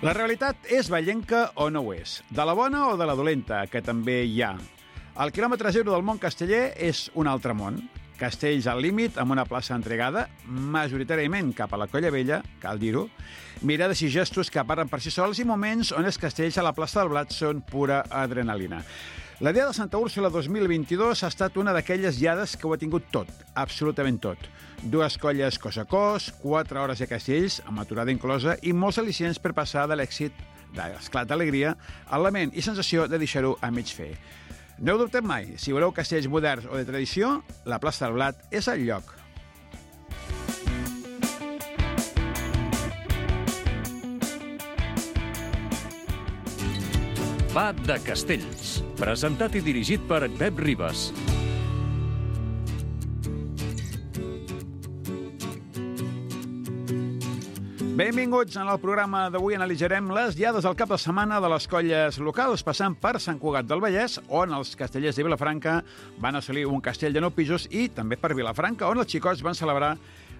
La realitat és vallenca o no ho és? De la bona o de la dolenta, que també hi ha? El quilòmetre zero del món casteller és un altre món. Castells al límit, amb una plaça entregada, majoritàriament cap a la Colla Vella, cal dir-ho, mirades i gestos que parlen per si sols i moments on els castells a la plaça del Blat són pura adrenalina. La Diada de Santa Úrsula 2022 ha estat una d'aquelles diades que ho ha tingut tot, absolutament tot. 2 colles cos a cos, 4 hores de castells, amb aturada inclosa, i molts al·licients per passar de l'èxit, d'esclat d'alegria, al lament i sensació de deixar-ho a mig fer. No heu dubtat mai, si voleu castells moderns o de tradició, la plaça del Blat és el lloc. Va de Castells, presentat i dirigit per Pep Ribas. Benvinguts. En el programa d'avui analitzarem les diades del cap de setmana de les colles locals, passant per Sant Cugat del Vallès, on els castellers de Vilafranca van assolir un castell de 9 pisos, i també per Vilafranca, on els xicots van celebrar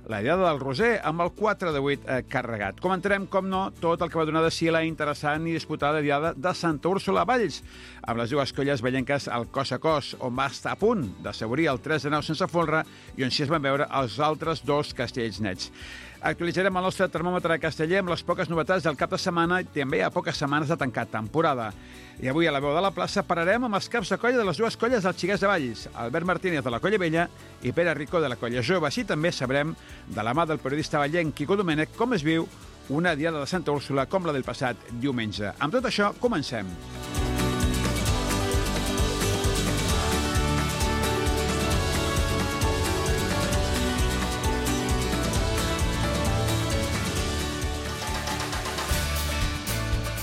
la Diada del Roser amb el 4 de 8 carregat. Comentarem, com no, tot el que va donar de si la interessant i disputada Diada de Santa Úrsula a Valls, amb les 2 colles vellenques al cos a cos, on va estar a punt d'assaborir el 3 de 9 sense folre i on s'hi es van veure els altres 2 castells nets. Actualitzarem el nostre termòmetre casteller amb les poques novetats del cap de setmana i també hi ha poques setmanes de tancar temporada. I avui a la veu de la plaça pararem amb els caps de colla de les 2 colles dels Xiquets de Valls, Albert Martínez de la Colla Vella i Pere Rico de la Colla Jove. Així també sabrem, de la mà del periodista vallenc Quico Domènech, com es viu una Diada de Santa Úrsula com la del passat diumenge. Amb tot això, comencem.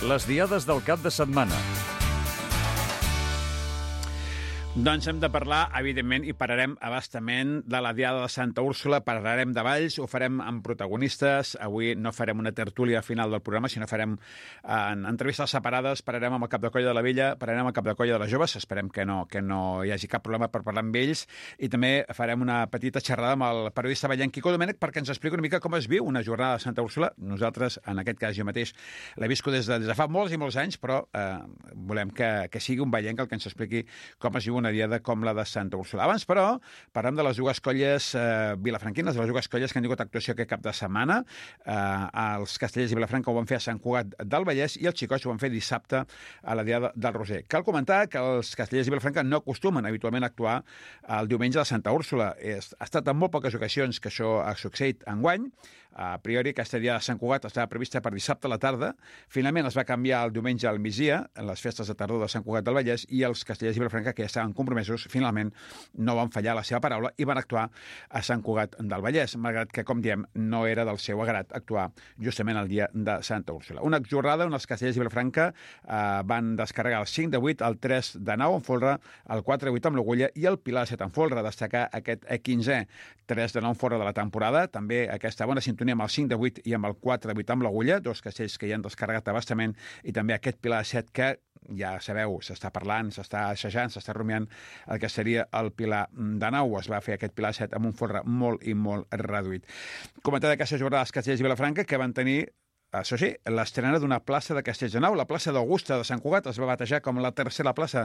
Les diades del cap de setmana. Doncs hem de parlar, evidentment, i pararem abastament de la Diada de Santa Úrsula, parlarem de Valls, ho farem amb protagonistes. Avui no farem una tertúlia final del programa, sinó farem en entrevistes separades, pararem amb el cap de colla de la Vella, pararem amb el cap de colla de les Joves, esperem que no hi hagi cap problema per parlar amb ells, i també farem una petita xerrada amb el periodista vallenc Quico Domènech perquè ens expliqui una mica com es viu una jornada de Santa Úrsula. Nosaltres, en aquest cas, jo mateix l'he viscut des de fa molts i molts anys, però volem que sigui un vallenc el que ens expliqui com es viu una diada com la de Santa Úrsula. Abans, però, parlem de les 2 colles vilafranquines, de les 2 colles que han tingut actuació aquest cap de setmana. Els castellers de Vilafranca ho van fer a Sant Cugat del Vallès i els xicots ho van fer dissabte a la Diada del Roser. Cal comentar que els castellers de Vilafranca no acostumen habitualment a actuar el diumenge de Santa Úrsula. Ha estat en molt poques ocasions que això ha succeït enguany. A priori, aquesta Diada de Sant Cugat estava prevista per dissabte a la tarda. Finalment es va canviar el diumenge al migdia, en les festes de tardor de Sant Cugat del Vallès, i els castellers de Vilafranca, que ja estaven compromesos, finalment no van fallar la seva paraula i van actuar a Sant Cugat del Vallès, malgrat que, com diem, no era del seu agrat actuar justament el dia de Santa Úrsula. Una jornada on els castellers de Vilafranca van descarregar el 5 de 8, el 3 de 9 en folre, el 4 de 8 amb l'Agulla i el Pilar 7 en folre. Destacar aquest 15è 3 de 9 en folre de la temporada, també aquesta bona sintonia amb el 5 de 8 i amb el 4 de 8 amb l'Agulla, 2 castells que hi han descarregat abastament, i també aquest Pilar 7 que, ja sabeu, s'està parlant, s'està assajant, s'està rumiant el que seria el Pilar de 9. Es va fer aquest Pilar 7 amb un folre molt i molt reduït. Comentar d'aquesta jornada dels castellers de Vilafranca, que van tenir, això sí, l'estrena d'una plaça de Castells de Nau. La plaça d'Augusta de Sant Cugat es va batejar com la tercera plaça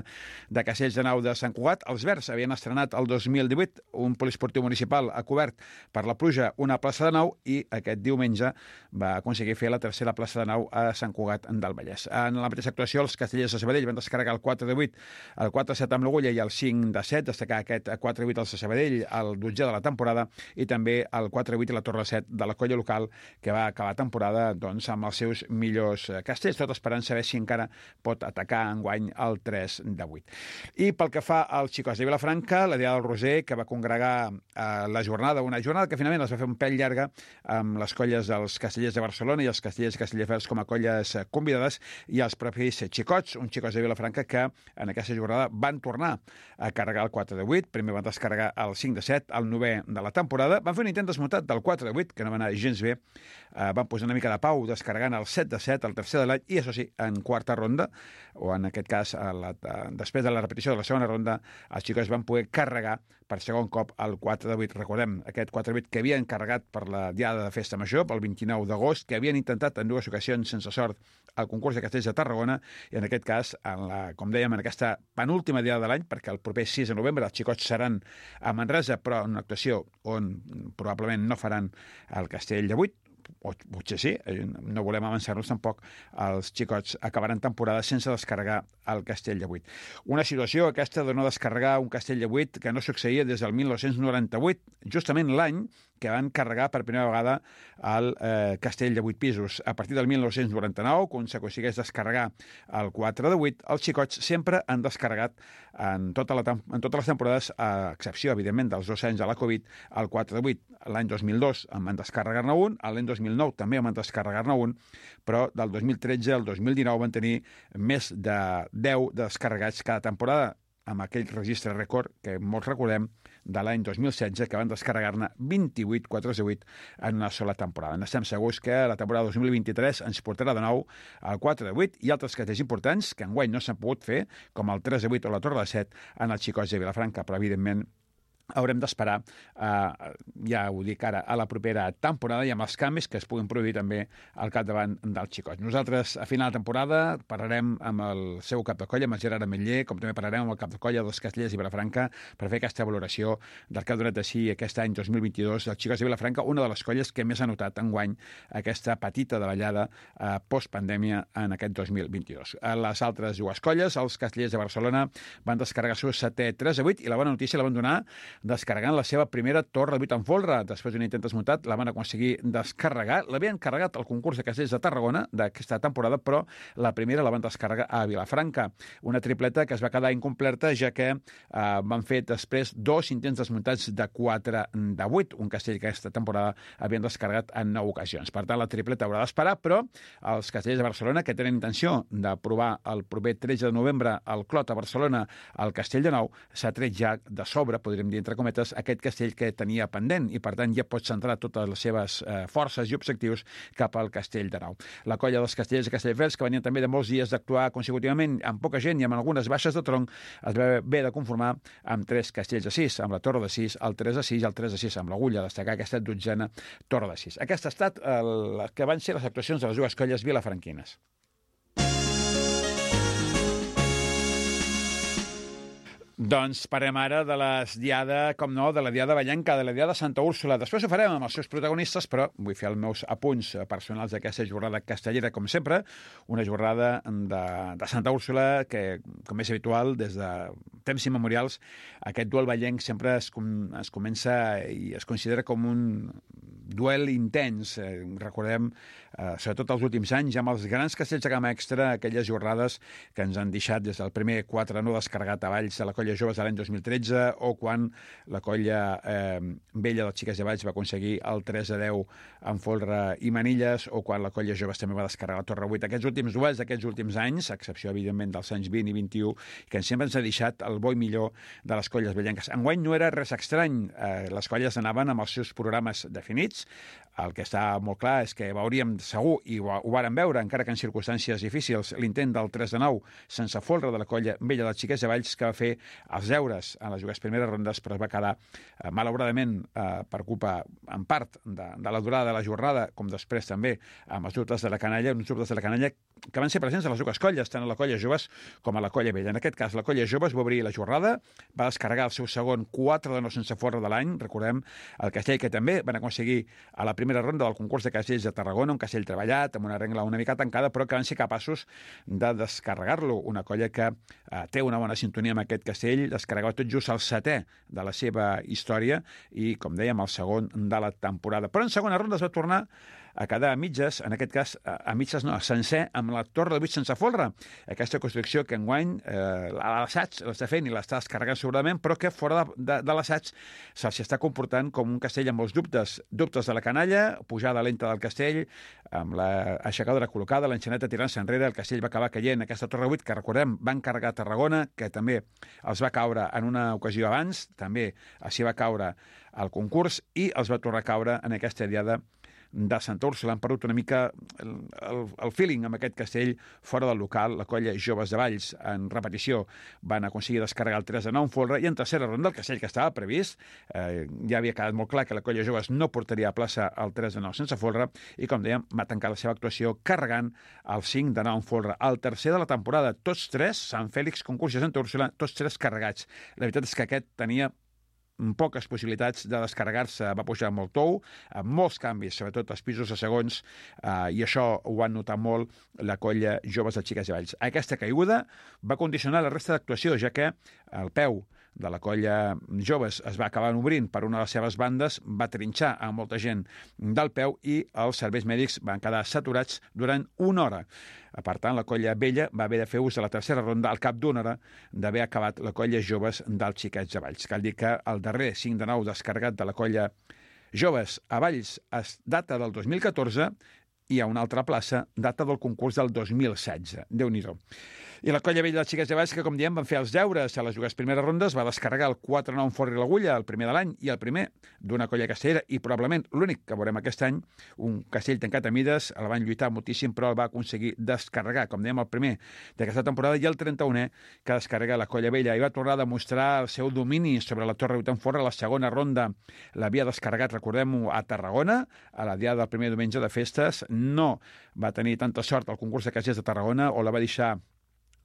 de Castells de Nau de Sant Cugat. Els Verds havien estrenat el 2018 un poliesportiu municipal a cobert per la pluja, una plaça de nau, i aquest diumenge va aconseguir fer la tercera plaça de nau a Sant Cugat del Vallès. En la mateixa actuació, els castellers de Sabadell van descarregar el 4 de 8, el 4 de 7 amb l'Agulla i el 5 de 7, destacar aquest 4 de 8 als de Sabadell, el 12è de la temporada, i també el 4 de 8 i la Torre 7 de la colla local, que va acabar temporada amb els seus millors castells, tot esperant saber si encara pot atacar enguany el 3 de 8. I pel que fa als xicots de Vilafranca, la Diada del Roser, que va congregar la jornada, una jornada que finalment es va fer un pèl llarga amb les colles dels castellers de Barcelona i els castellers i castellers com a colles convidades, i els propis xicots, uns xicots de Vilafranca que en aquesta jornada van tornar a carregar el 4 de 8, primer van descarregar el 5 de 7, el 9è de la temporada, van fer un intent desmuntat del 4 de 8, que no va anar gens bé, van posar una mica de pau descarregant el 7 de 7, el tercer de l'any, i això sí, en quarta ronda, o en aquest cas, després de la repetició de la segona ronda, els xicots van poder carregar per segon cop el 4 de 8. Recordem, aquest 4 de 8 que havien carregat per la diada de Festa Major, pel 29 d'agost, que havien intentat en dues ocasions sense sort el concurs de castells de Tarragona, i en aquest cas, com dèiem, en aquesta penúltima diada de l'any, perquè el proper 6 de novembre els xicots seran a Manresa, però en una actuació on probablement no faran el castell de 8, o potser sí, no volem avançar-nos tampoc, els xicots acabaran temporada sense descarregar el castell de 8. Una situació aquesta de no descarregar un castell de 8 que no succeïa des del 1998, justament l'any que van carregar per primera vegada el castell de 8 pisos. A partir del 1999, quan s'aconsegueix descarregar el 4 de 8, els xicots sempre han descarregat en totes les temporades, a excepció, evidentment, dels 2 anys de la Covid, el 4 de 8. L'any 2002 en van descarregar-ne un, l'any 2009 també en van descarregar-ne un, però del 2013 al 2019 van tenir més de 10 descarregats cada temporada, amb aquell registre rècord que molts recordem de l'any 2016, que van descarregar-ne 28 4 de 8 en una sola temporada. Estem segurs que la temporada 2023 ens portarà de nou el 4 de 8 i altres castells importants que enguany no s'han pogut fer, com el 3 de 8 o la Torre de 7 en els xicots de Vilafranca, però evidentment haurem d'esperar, ja ho dic ara, a la propera temporada i amb els canvis que es puguin produir també al capdavant dels xicots. Nosaltres, a final de temporada, parlarem amb el seu cap de colla, amb el Gerard Ametller, com també parlarem amb el cap de colla dels Castellers i Vilafranca per fer aquesta valoració del que ha donat de si aquest any 2022 els xicots de Vilafranca, una de les colles que més ha notat enguany aquesta petita davallada post-pandèmia en aquest 2022. A les altres dues colles, els Castellers de Barcelona, van descarregar el seu 7è 3 de 8 i la bona notícia la van donar descarregant la seva primera torre de 8 en folre. Després d'un intent desmuntat, la van aconseguir descarregar. L'havien carregat al concurs de castells de Tarragona d'aquesta temporada, però la primera la van descarregar a Vilafranca. Una tripleta que es va quedar incompleta, ja que van fer després 2 intents desmuntats de 4 de 8, un castell que aquesta temporada havien descarregat en 9 ocasions. Per tant, la tripleta haurà d'esperar, però els castellers de Barcelona, que tenen intenció de provar el proper 13 de novembre al Clot a Barcelona al Castell de Nou, s'ha tret ja de sobre, podríem dir, entre cometes, aquest castell que tenia pendent i, per tant, ja pot centrar totes les seves forces i objectius cap al Castell de Nou. La colla dels Castellers i Castelldefels, que venien també de molts dies d'actuar consecutivament amb poca gent i amb algunes baixes de tronc, es va haver de conformar amb 3 castells de 6, amb la torre de 6, el 3 de 6 i el 3 de 6 amb l'agulla, destacar aquesta 12a torre de 6. Aquesta ha estat que van ser les actuacions de les dues colles vilafranquines. Doncs parlem ara de la diada, com no, de la diada vallenca, de la diada de Santa Úrsula. Després ho farem amb els seus protagonistes, però vull fer els meus apunts personals d'aquesta jornada castellera, com sempre, una jornada de Santa Úrsula que, com és habitual, des de temps immemorials, aquest duel vallenc sempre es comença i es considera com un duel intens. Recordem, sobretot els últims anys, amb els grans castells de gamma extra, aquelles jornades que ens han deixat des del primer 4 no descarregat a Valls de la colla joves de l'any 2013, o quan la colla vella dels Xiques de Valls va aconseguir el 3 a 10 en folre i manilles, o quan la colla joves també va descarregar la Torre 8. Aquests últims duels d'aquests últims anys, a excepció, evidentment, dels anys 20 i 21, que sempre ens ha deixat el bo i millor de les colles vellenques. Enguany no era res estrany. Les colles anaven amb els seus programes definits. El que està molt clar és que veuríem segur, i ho vàrem veure, encara que en circumstàncies difícils, l'intent del 3 de 9 sense folre de la colla vella dels Xiques de Valls, que va fer els deures en les dues primeres rondes, però es va quedar, malauradament, per culpa, en part, de la durada de la jornada, com després també amb els dubtes de la canalla, uns dubtes de la canalla que van ser presents a les dues colles, tant a la colla joves com a la colla vella. En aquest cas, la colla joves va obrir la jornada, va descarregar el seu segon 4 de 9 sense folre de l'any, recordem, el castell que també van aconseguir a la primera ronda del concurs de castells de Tarragona, un castell treballat, amb una regla una mica tancada, però que van ser capaços de descarregar-lo. Una colla que té una bona sintonia amb aquest castell, descarregava tot just el 7è de la seva història i, com dèiem, el segon de la temporada. Però en segona ronda es va tornar a quedar a mitges, en aquest cas a mitges no, sencer, amb la torre de 8 sense folre. Aquesta construcció que enguany l'assaig l'està fent i l'està descarregant segurament, però que fora de l'assaig se'ls està comportant com un castell amb molts dubtes de la canalla, pujada lenta del castell, amb l'aixecadora col·locada, l'enxaneta tirant-se enrere, el castell va acabar caient. Aquesta torre 8, que recordem, van carregar a Tarragona, que també els va caure en una ocasió abans, també s'hi va caure al concurs, i els va tornar a caure en aquesta diada de Santa Úrsula han perdut una mica el feeling amb aquest castell fora del local. La colla Joves de Valls, en repetició, van aconseguir descarregar el 3-9 en folre, i en tercera ronda el castell que estava previst, ja havia quedat molt clar que la colla Joves no portaria a plaça el 3-9 sense folre, i com dèiem, va tancar la seva actuació carregant el 5-9 en folre. El tercer de la temporada, tots tres, Sant Fèlix, concurs de Santa Úrsula, tots tres carregats. La veritat és que aquest tenia poques possibilitats de descarregar-se, va pujar molt tou, amb molts canvis, sobretot als pisos de segons, i això ho van notar molt la colla Joves de Xiques i Valls. Aquesta caiguda va condicionar la resta d'actuació, ja que el peu de la colla Joves es va acabar obrint per una de les seves bandes, va trinxar a molta gent del peu i els serveis mèdics van quedar saturats durant una hora. Per tant, la colla vella va haver de fer ús de la tercera ronda al cap d'una hora d'haver acabat la colla Joves dels Xiquets de Valls. Cal dir que el darrer 5-9 descarregat de la colla Joves a Valls es data del 2014 i a una altra plaça data del concurs del 2016. Déu-n'hi-do. I la colla vella dels Xiquets de Valls, que com diem van fer els deures a les dues primeres rondes, va descarregar el 4-9 en forri l'agulla, el primer de l'any, i el primer d'una colla castellera, i probablement l'únic que veurem aquest any, un castell tancat a mides, el van lluitar moltíssim, però el va aconseguir descarregar, com dèiem, el primer d'aquesta temporada, i el 31è que descarrega la colla vella, i va tornar a demostrar el seu domini sobre la Torre 8 en forra. La segona ronda l'havia descarregat, recordem-ho, a Tarragona, a la diada del primer diumenge de festes. No va tenir tanta sort al concurs de castellers de Tarragona, o la va deixar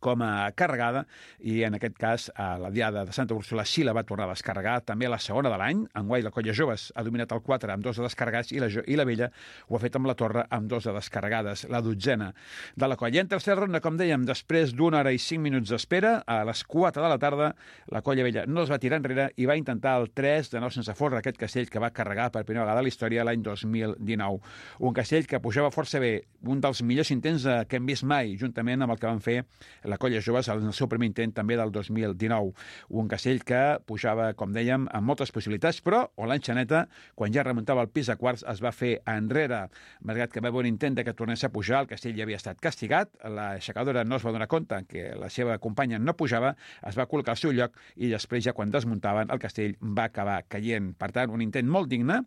com a carregada, i en aquest cas a la diada de Santa Úrsula sí la va tornar a descarregar, també a la segona de l'any. Enguany la colla Joves ha dominat el 4 amb 2 de descarregats, i la vella ho ha fet amb la Torre amb 2 de descarregades, la dotzena de la colla. I en tercera ronda, com dèiem, després d'una hora i 5 minuts d'espera, a les 4 de la tarda, la colla vella no es va tirar enrere i va intentar el 3-9 sense folre, aquest castell que va carregar per primera vegada a la història l'any 2019. Un castell que pujava força bé, un dels millors intents que hem vist mai, juntament amb el que van fer la colla Joves en el seu primer intent també del 2019. Un castell que pujava, com dèiem, amb moltes possibilitats, però l'Enxaneta, quan ja remuntava el pis de quarts, es va fer enrere. Malgrat que va haver un intent que tornés a pujar, el castell ja havia estat castigat, l'aixecadora no es va donar compte que la seva companya no pujava, es va col·locar al seu lloc, i després, ja quan desmuntaven, el castell va acabar caient. Per tant, un intent molt digne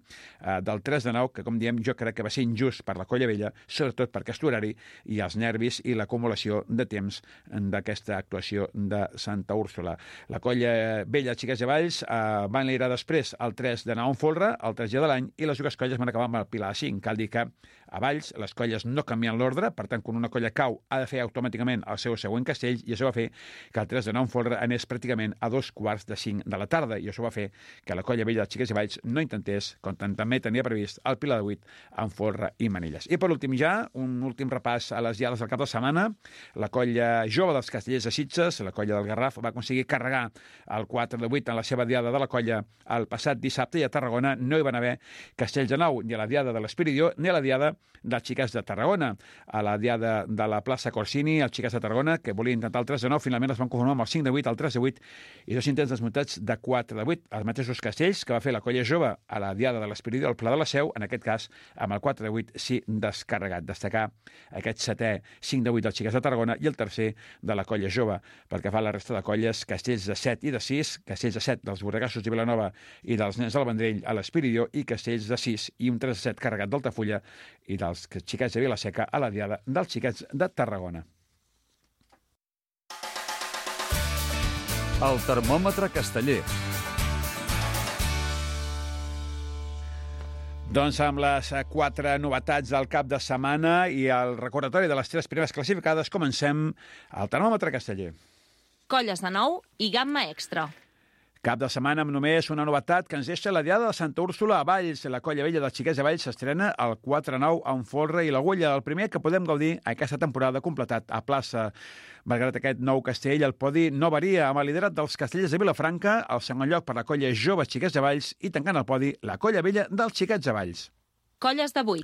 del 3-9, que, com diem, jo crec que va ser injust per la colla vella, sobretot per aquest horari i els nervis i l'acumulació de temps d'aquesta actuació de Santa Úrsula. La colla vella Xiquets de Valls van liderar després el 3-9 en folre, el tercer de l'any, i les dues colles van acabar amb el pilar 5. Cal dir que a Valls les colles no canvien l'ordre, per tant, quan una colla cau ha de fer automàticament el seu següent castell, i això va fer que el 3-9 en folre anés pràcticament a 2:45 de la tarda, i això va fer que la colla vella Xiquets de Valls no intentés, com també tenia previst, el pilar de 8 en folre i manilles. I per últim ja, un últim repàs a les diades del cap de setmana. La colla jove dels castellers de Sitges, la colla del Garraf, va aconseguir carregar el 4-8 en la seva diada de la colla el passat dissabte, i a Tarragona no hi van haver castells de nou, ni a la diada de l'Espiridió ni a la diada dels Xiquets de Tarragona. A la diada de la plaça Corsini, els Xiquets de Tarragona, que volien intentar el 3-9, finalment es van conformar amb el 5-8, el 3-8 i 2 intents desmuntats de 4-8, els mateixos castells que va fer la colla jove a la diada de l'Espiridió al Pla de la Seu, en aquest cas amb el 4-8 sí descarregat. Destacar aquest setè 5-8 dels Xiquets de Tarragona i el tercer de la colla jove. Pel que fa a la resta de colles, castells de 7 i de 6, castells de 7 dels Borregassos de Vilanova i dels Nens del Vendrell a l'Espiridió, i castells de 6 i un 3-7 carregat d'Altafulla i dels Xiquets de Vilaseca a la diada dels Xiquets de Tarragona. El termòmetre casteller. Doncs amb les 4 novetats del cap de setmana i el recordatori de les 3 primeres classificades, comencem el termòmetre casteller. Colles de nou i gamma extra. Cap de setmana amb només una novetat que ens deixa la diada de Santa Úrsula a Valls. La colla vella dels Xiquets de Valls s'estrena el 4-9 en folre i l'agulla, el primer que podem gaudir aquesta temporada completat a plaça. Malgrat aquest nou castell, el podi no varia, amb el liderat dels castellers de Vilafranca, el segon lloc per la colla Joves Xiquets de Valls, i tancant el podi la colla vella dels Xiquets de Valls. Colles de 8.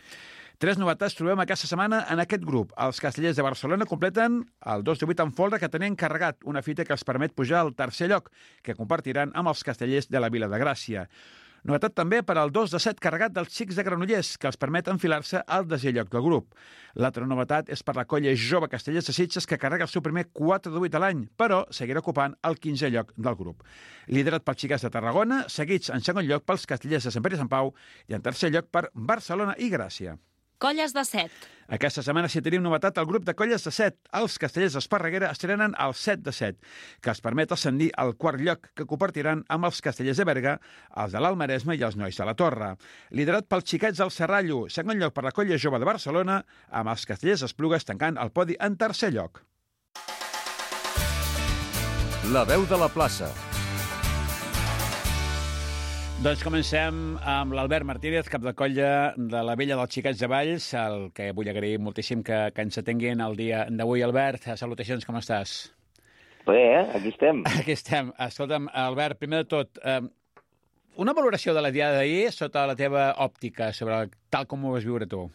3 novetats trobem aquesta setmana en aquest grup. Els castellers de Barcelona completen el 2-8 en folre, que tenien carregat una fita que els permet pujar al tercer lloc, que compartiran amb els castellers de la Vila de Gràcia. Novetat també per al 2 de 7 carregat dels xics de Granollers, que els permet enfilar-se al desè lloc del grup. L'altra novetat és per la colla jove Castellers de Sitges, que carrega el seu primer 4 de 8 a l'any, però seguirà ocupant el 15è lloc del grup. Liderat pels xiquets de Tarragona, seguits en segon lloc pels Castellers de Sant Pere i Sant Pau i en tercer lloc per Barcelona i Gràcia. Colles de 7. Aquesta setmana sí tenim novetat al grup de colles de 7. Els Castellers d'Esparreguera estrenen el 7 de 7, que els permet ascendir al quart lloc, que compartiran amb els Castellers de Berga, els de l'Alt Maresme i els Nois de la Torre. Liderat pels xiquets del Serrallo, segon lloc per la colla jove de Barcelona, amb els Castellers d'Esplugues tancant el podi en tercer lloc. La veu de la plaça. Doncs comencem amb l'Albert Martínez, cap de colla de la Vella dels Xiquets de Valls, el que vull agrair moltíssim que ens atenguin el dia d'avui. Albert, salutacions, com estàs? Bé, aquí estem. Aquí estem. Escolta'm, Albert, primer de tot, una valoració de la diada d'ahir sota la teva òptica, sobre tal com ho vas viure tu.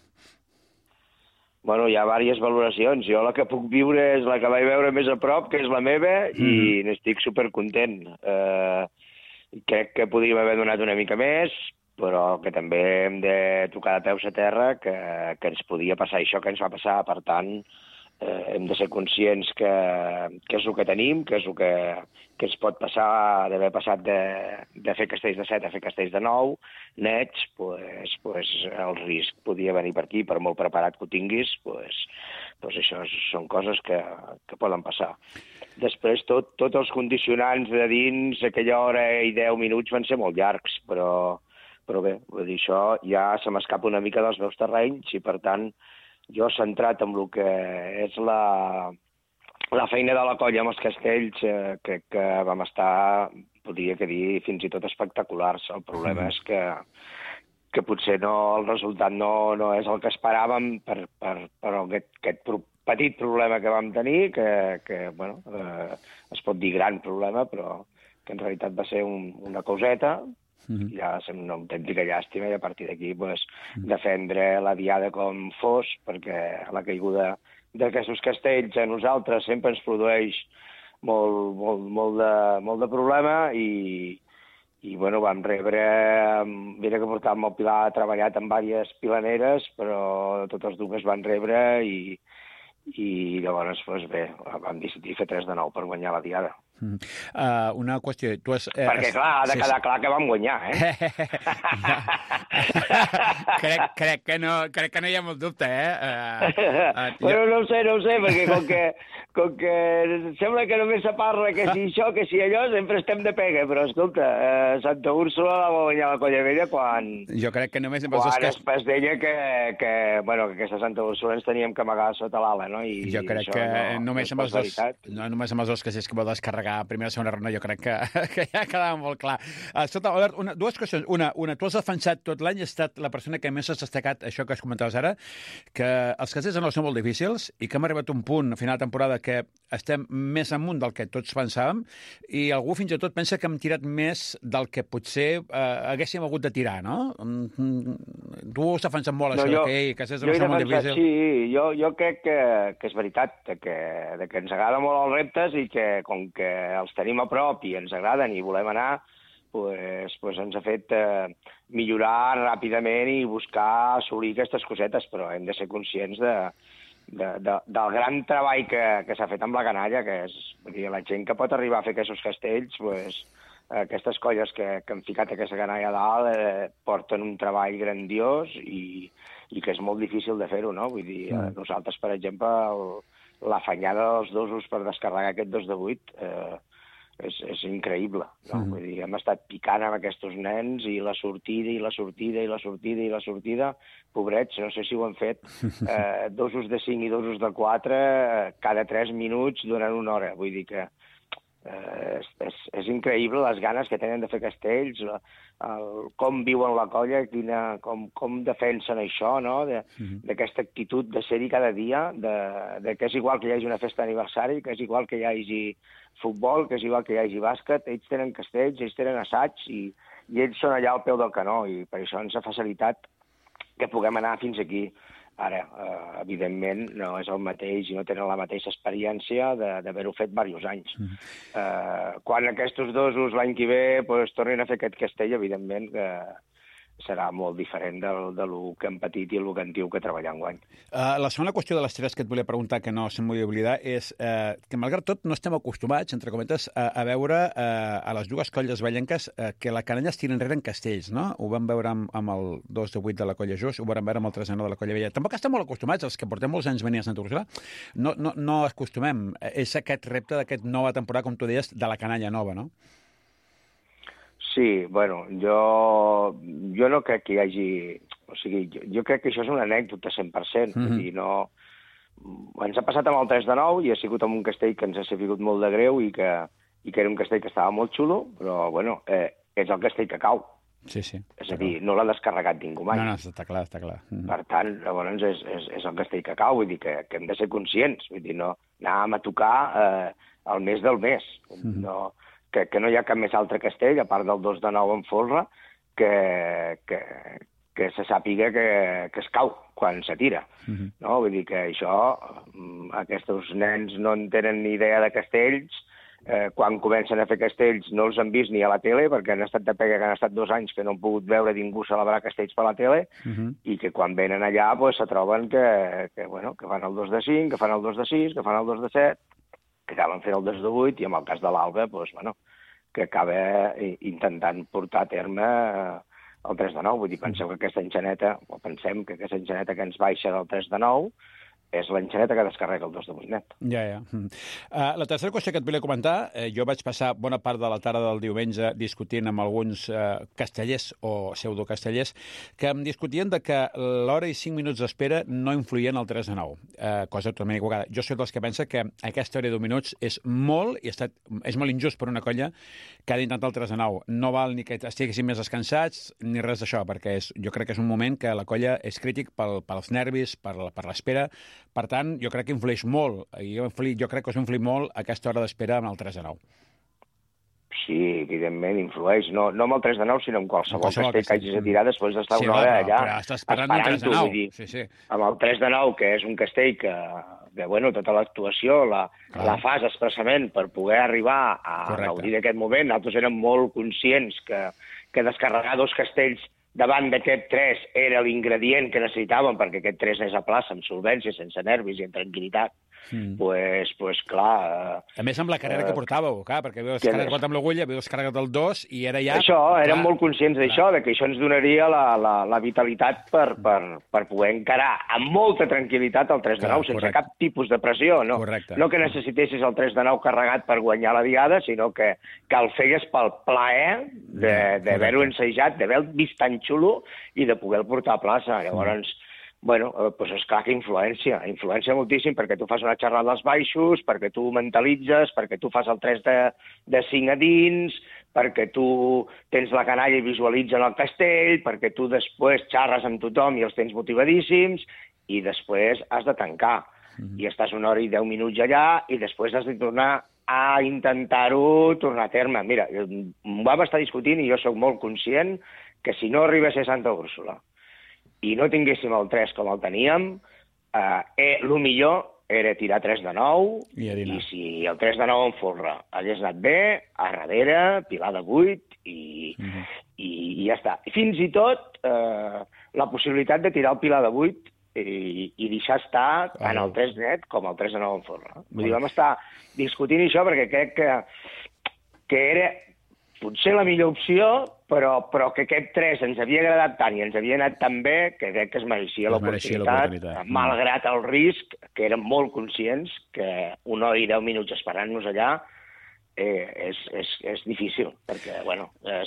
Bueno, hi ha diverses valoracions. Jo la que puc viure és la que vaig veure més a prop, que és la meva, i n'estic supercontent. Crec que podríem haver donat una mica més, però que també hem de tocar de peus a terra que ens podia passar això que ens va passar. Per tant, hem de ser conscients que és el que tenim, que és el que ens pot passar d'haver passat de fer castells de 7 a fer castells de 9, nets, pues el risc podia venir per aquí, per molt preparat que ho tinguis, pues això són coses que poden passar. Després, tots els condicionants de dins, aquella hora i 10 minuts van ser molt llargs, però bé, vull dir, això ja se m'escapa una mica dels meus terrenys i, per tant, jo centrat en el que és la feina de la colla amb els castells, crec que vam estar, podria dir, fins i tot espectaculars. El problema és que potser el resultat no és el que esperàvem per aquest petit problema que vam tenir, que es pot dir gran problema, però que en realitat va ser una coseta, ja va ser una autèntica llàstima, i a partir d'aquí defendre la diada com fos, perquè la caiguda d'aquests castells a nosaltres sempre ens produeix molt de problema, i vam rebre, mira que portàvem el Pilar treballat amb diverses pilaneres, però totes dues van rebre i llavors, bé, vam decidir fer 3 de 9 per guanyar la diada. Una qüestió... Perquè, clar, ha de quedar clar que vam guanyar, crec que no hi ha molt dubte, Però no ho sé, perquè com que sembla que només se parla que si això, que si allò, sempre estem de pega, però, escolta, Santa Úrsula la va guanyar la Colla Vella quan... Jo crec que només... Quan es deia que aquesta Santa Úrsula ens teníem que amagar sota l'ala, no? Jo crec que només amb els dos castells que va descarregar a primera o segona ronda, jo crec que ja quedava molt clar. Escolta, Albert, dues qüestions. Una, tu has defensat tot l'any, has estat la persona que més has destacat això que has comentaves ara, que els castells de 9 són molt difícils i que hem arribat a un punt, a final de temporada, que estem més amunt del que tots pensàvem, i algú fins i tot pensa que hem tirat més del que potser haguéssim hagut de tirar, no? Tu has defensat molt això, que castells de 9 són molt difícils. Sí, jo crec que és veritat, que ens agrada molt els reptes i que, com que els tenim a prop i ens agraden i volem anar, pues ens ha fet millorar ràpidament i buscar assolir aquestes cosetes, però hem de ser conscients del gran treball que s'ha fet amb la canalla, que és, vull dir, la gent que pot arribar a fer aquests castells, aquestes colles que han ficat aquesta canalla a dalt porten un treball grandiós i que és molt difícil de fer-ho, no? Vull dir, nosaltres, per exemple, l'afanyada dels dosos per descarregar aquest 2 de 8 és increïble, no? Vull dir, hem estat picant amb aquests nens i la sortida, pobrets, no sé si ho han fet, dosos de 5 i dosos de 4 cada 3 minuts durant una hora. Vull dir que és increïble les ganes que tenen de fer castells, com viuen la colla, com defensen això, no? D'aquesta actitud de ser-hi cada dia, de que és igual que hi hagi una festa d'aniversari, que és igual que hi hagi futbol, que és igual que hi hagi bàsquet, ells tenen castells, ells tenen assaigs i ells són allà al peu del canó, i per això ens ha facilitat que puguem anar fins aquí. Ara, evidentment, no és el mateix i no tenen la mateixa experiència d'haver-ho fet diversos anys. Quan aquests dosos l'any que ve tornin a fer aquest castell, evidentment que serà molt diferent de lo que hem patit i el que en diu que treballar enguany. La segona qüestió de les tres que et volia preguntar, que no se'm volia oblidar, és que, malgrat tot, no estem acostumats, entre cometes, a veure a les dues colles vallenques que la canalla es tira enrere en castells, no? Ho vam veure amb el 2 de 8 de la colla Just, ho vam veure amb el 3 de 9 de la colla Vella. Tampoc estem molt acostumats, els que portem molts anys venint a Santa Úrsula, no acostumem. És aquest repte d'aquesta nova temporada, com tu deies, de la canalla nova, no? Sí, bueno, jo no crec que hi hagi... O sigui, jo crec que això és una anècdota 100%. Vull dir, no... Ens ha passat amb el 3 de 9 i ha sigut amb un castell que ens ha sigut molt de greu i que era un castell que estava molt xulo, però, bueno, és el castell que cau. Sí, sí. És a dir, no l'ha descarregat ningú mai. No, està clar, està clar. Per tant, llavors és el castell que cau, vull dir que hem de ser conscients. Vull dir, no anàvem a tocar el mes del mes. No... Que no hi ha cap més altre castell, a part del 2 de 9 en folre, que se sàpiga que es cau quan se tira. No? Vull dir que això, aquests nens no en tenen ni idea de castells, quan comencen a fer castells no els han vist ni a la tele, perquè han estat de pega que han estat 2 anys que no han pogut veure ningú celebrar castells per la tele, i que quan venen allà se troben que fan el 2 de 5, que fan el 2 de 6, que fan el 2 de 7, que acaben fent el 2 de 8, i en el cas de l'Alba, que acaba intentant portar a terme el 3 de 9. Vull dir, pensem que aquesta enxaneta que ens baixa del 3 de 9 és l'enxaneta que descarrega el 2 de 8 net. Ja. La tercera qüestió que et volia comentar, jo vaig passar bona part de la tarda del diumenge discutint amb alguns castellers o pseudocastellers que em discutien de que l'hora i 5 minuts d'espera no influïen al 3 de 9, cosa totalment equivocada. Jo soc dels que pensa que aquesta hora i 10 minuts és molt injust per una colla que ha d'intentar el 3 de 9. No val ni que estiguessin més descansats ni res d'això, perquè jo crec que és un moment que la colla és crític pels nervis, per l'espera. Per tant, jo crec que influeix molt. Jo crec que us influeix molt aquesta hora d'espera amb el 3 de 9. Sí, evidentment, influeix. No amb el 3 de 9, sinó amb qualsevol castell que hagis de tirar després d'estar una hora allà. Però estàs esperant el 3 de 9. Sí. Amb el 3 de 9, que és un castell que tota l'actuació la fas expressament per poder arribar a gaudir d'aquest moment. Nosaltres érem molt conscients que descarregar 2 castells davant d'aquest 3 era l'ingredient que necessitàvem perquè aquest 3 és a plaça, amb solvència, sense nervis i amb tranquil·litat. Pues clar... A més, amb la carrera que portàveu, clar, perquè havíeu descarregat amb l'agulla, havíeu descarregat el 2 i era ja... Això, érem molt conscients d'això, que això ens donaria la vitalitat per poder encarar amb molta tranquil·litat el 3 de 9, sense cap tipus de pressió, no? No que necessitessis el 3 de 9 carregat per guanyar la diada, sinó que el feies pel plaer d'haver-ho ensajat, d'haver-ho vist tan xulo i de poder-lo portar a plaça. Llavors... doncs esclar que influència moltíssim perquè tu fas una xerrada als baixos, perquè tu mentalitzes, perquè tu fas el 3 de 5 a dins, perquè tu tens la canalla i visualitzen el castell, perquè tu després xerres amb tothom i els tens motivadíssims, i després has de tancar. I estàs 1 hora i 10 minuts allà i després has de tornar a intentar-ho tornar a terme. Mira, ho vam estar discutint i jo sóc molt conscient que si no arribés a Santa Úrsula i no tinguéssim el 3 com el teníem, el millor era tirar 3 de 9, i si el 3 de 9 en folre hagués anat bé, a darrere, pilar de 8, i ja està. Fins i tot la possibilitat de tirar el pilar de 8 i deixar estar tant el 3 net com el 3 de 9 en folre. Vull dir, vam estar discutint això perquè crec que era potser la millor opció, però que aquest 3 ens havia agradat tant i ens havia anat tan bé que crec que es mereixia l'oportunitat, malgrat el risc, que érem molt conscients que 1 hora i 10 minuts esperant-nos allà és difícil, perquè,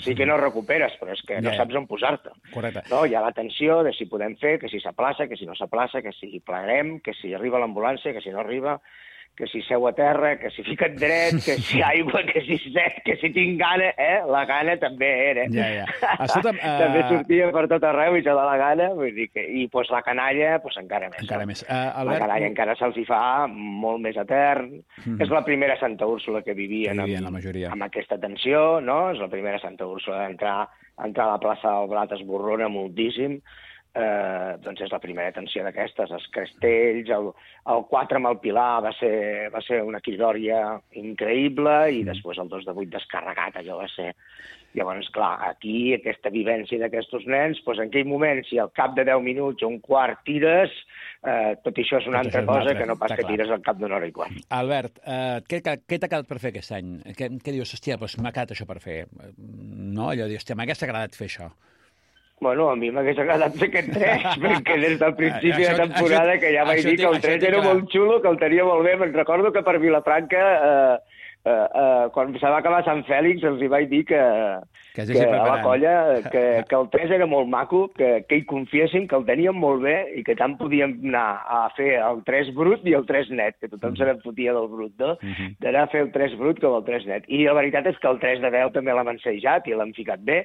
sí que no recuperes, però és que no saps on posar-te. No? Hi ha la tensió de si podem fer, que si s'aplaça, que si no s'aplaça, que si plegarem, que si arriba l'ambulància, que si no arriba, que si seu a terra, que si fica't dret, que si aigua, que si set, que si tinc gana, la gana també era. També sortia per tot arreu i això de la gana, vull dir que... I la canalla, encara més. La canalla encara se'ls hi fa molt més etern. És la primera Santa Úrsula que vivien amb aquesta tensió, no? És la primera Santa Úrsula d'entrar a la plaça del Blat, esborrona moltíssim. doncs és la primera atenció d'aquestes. Els castells, el 4 amb el Pilar va ser una quiròria increïble i després el 2 de 8 descarregat, allò va ser... Llavors, clar, aquí, aquesta vivència d'aquests nens, doncs en aquell moment, si al cap de 10 minuts o un quart tires, tot això és una altra cosa que no pas que tires al cap d'una hora i quart. Albert, què t'ha quedat per fer aquest any? Què dius? Hòstia, doncs m'ha quedat això per fer. No? Allò dius, hòstia, m'hagués agradat fer això. Bueno, a mi m'hagués agradat fer aquest 3, perquè des del principi de temporada que ja vaig dir que el 3 era molt xulo, que el tenia molt bé. Me'n recordo que per Vilafranca... quan se va acabar Sant Fèlix els hi vaig dir que a la colla que el 3 era molt maco, que hi confiessin, que el teníem molt bé i que tant podíem anar a fer el 3 brut i el 3 net, que tothom se n'enfotia del brut, no? D'anar a fer el 3 brut com el 3 net. I la veritat és que el 3 de 10 també l'hem ensejat i l'hem ficat bé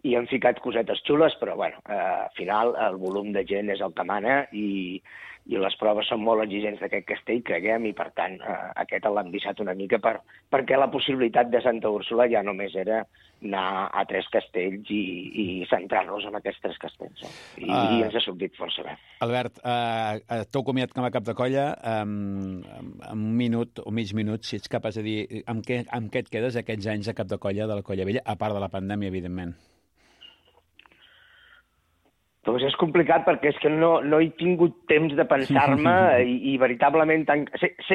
i hem ficat cosetes xules, però bueno, al final el volum de gent és el que mana i les proves són molt exigents d'aquest castell, creguem, i per tant aquest l'hem deixat una mica perquè la possibilitat de Santa Úrsula ja només era anar a 3 castells i centrar-nos en aquests 3 castells. I ens ha sortit força bé. Albert, t'heu comiat com a cap de colla, en un minut o mig minut, si ets capaç de dir amb què et quedes aquests anys de cap de colla de la Colla Vella, a part de la pandèmia, evidentment. Doncs és complicat perquè és que no he tingut temps de pensar-me i veritablement...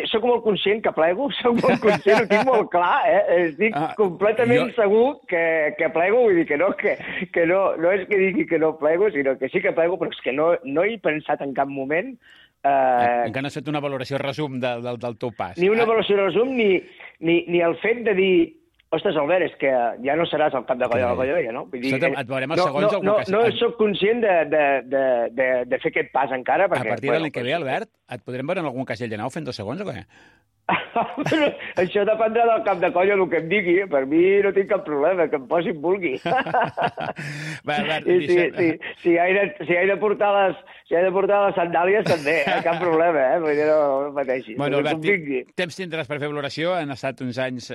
Soc molt conscient que plego, soc molt conscient, ho tinc molt clar, estic completament segur que plego, vull dir que no és que digui que no plego, sinó que sí que plego, però és que no he pensat en cap moment... Encara no has fet una valoració resum del teu pas. Ni una valoració resum, ni el fet de dir... Ostres, Albert, és que ja no seràs el cap de colla de la Colla Vella, no? Vull dir, et veurem els segons... No soc conscient de fer aquest pas encara, perquè... A partir de l'any que ve, Albert, et podrem veure en algun castell de nau fent 2 segons o què? Això dependrà del cap de colla, el que em digui. Per mi no tinc cap problema, que em posi en vulgui. Si he de portar les sandàlies, també, cap problema, vull dir, no pateixis. Bueno, Albert, temps tindràs per fer valoració. Han estat uns anys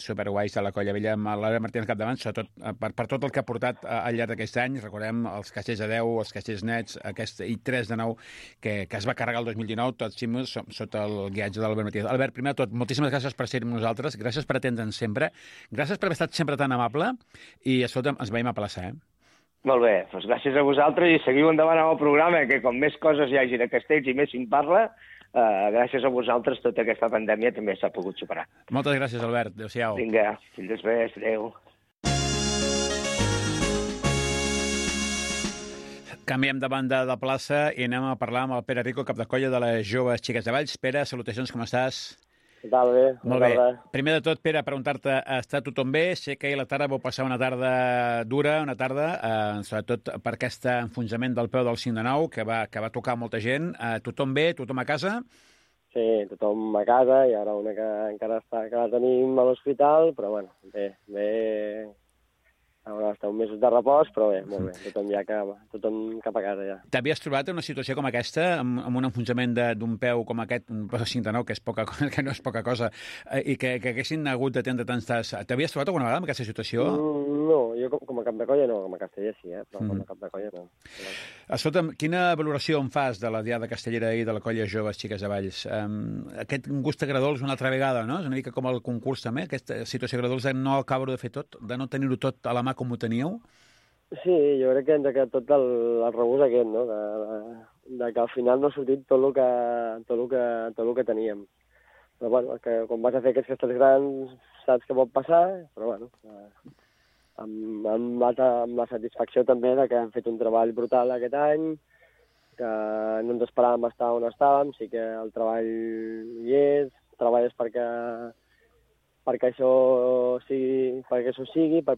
superguais a la Colla Vella amb l'Albert Martínez capdavant, sobretot per tot el que ha portat al llarg d'aquest any. Recordem els castells de 10, els castells nets, i 3 de 9, que es va carregar el 2019, tots ximus, sota el guiatge de l'Albert Martínez. Albert, primer de tot, moltíssimes gràcies per ser amb nosaltres, gràcies per atendre'ns sempre, gràcies per haver estat sempre tan amable i, escolta'm, ens veiem a plaça, Molt bé, doncs gràcies a vosaltres i seguiu endavant amb el programa, que com més coses hi hagi de castells i més se'n parla, gràcies a vosaltres tota aquesta pandèmia també s'ha pogut superar. Moltes gràcies, Albert. Adéu-siau. Vinga, fins després, adéu. Canviem de banda de plaça i anem a parlar amb el Pere Rico, cap de colla de les joves xiques de Valls. Pere, salutacions, com estàs? Què tal, bé? Molt bé. Primer de tot, Pere, preguntar-te, està tothom bé? Sé que ahir a la tarda vau passar una tarda dura, sobretot per aquest enfonsament del peu del 5 de 9, que va tocar molta gent. Tothom bé? Tothom a casa? Sí, tothom a casa, i ara una que encara la tenim a l'hospital, però bueno, bé. Haurà d'estar un mes de repòs, però bé, molt bé, tothom cap a casa ja. T'havies trobat en una situació com aquesta, amb un enfonsament d'un peu com aquest, un peu de 5 de 9, que no és poca cosa, i que haguessin hagut d'atendre tants tas. T'havies trobat alguna vegada en aquesta situació? No, jo com a cap de colla no, com a casteller sí, però com a cap de colla no. Escolta'm, quina valoració en fas de la Diada Castellera i de la colla Joves Xiques de Valls? Aquest gust a Gradols una altra vegada, no? És una mica com el concurs també, aquesta situació a Gradols de no acabar-ho de fer tot, de no tenir-ho tot a la mà com ho teníeu? Sí, jo crec que ens ha quedat tot el regust aquest, no? De que al final no ha sortit tot el que teníem. Però bueno, que quan vas a fer aquests castells grans saps què pot passar, però bueno, amb la satisfacció també de que hem fet un treball brutal aquest any, que no ens esperàvem estar on estàvem, sí que el treball hi és, treballes perquè això sigui, per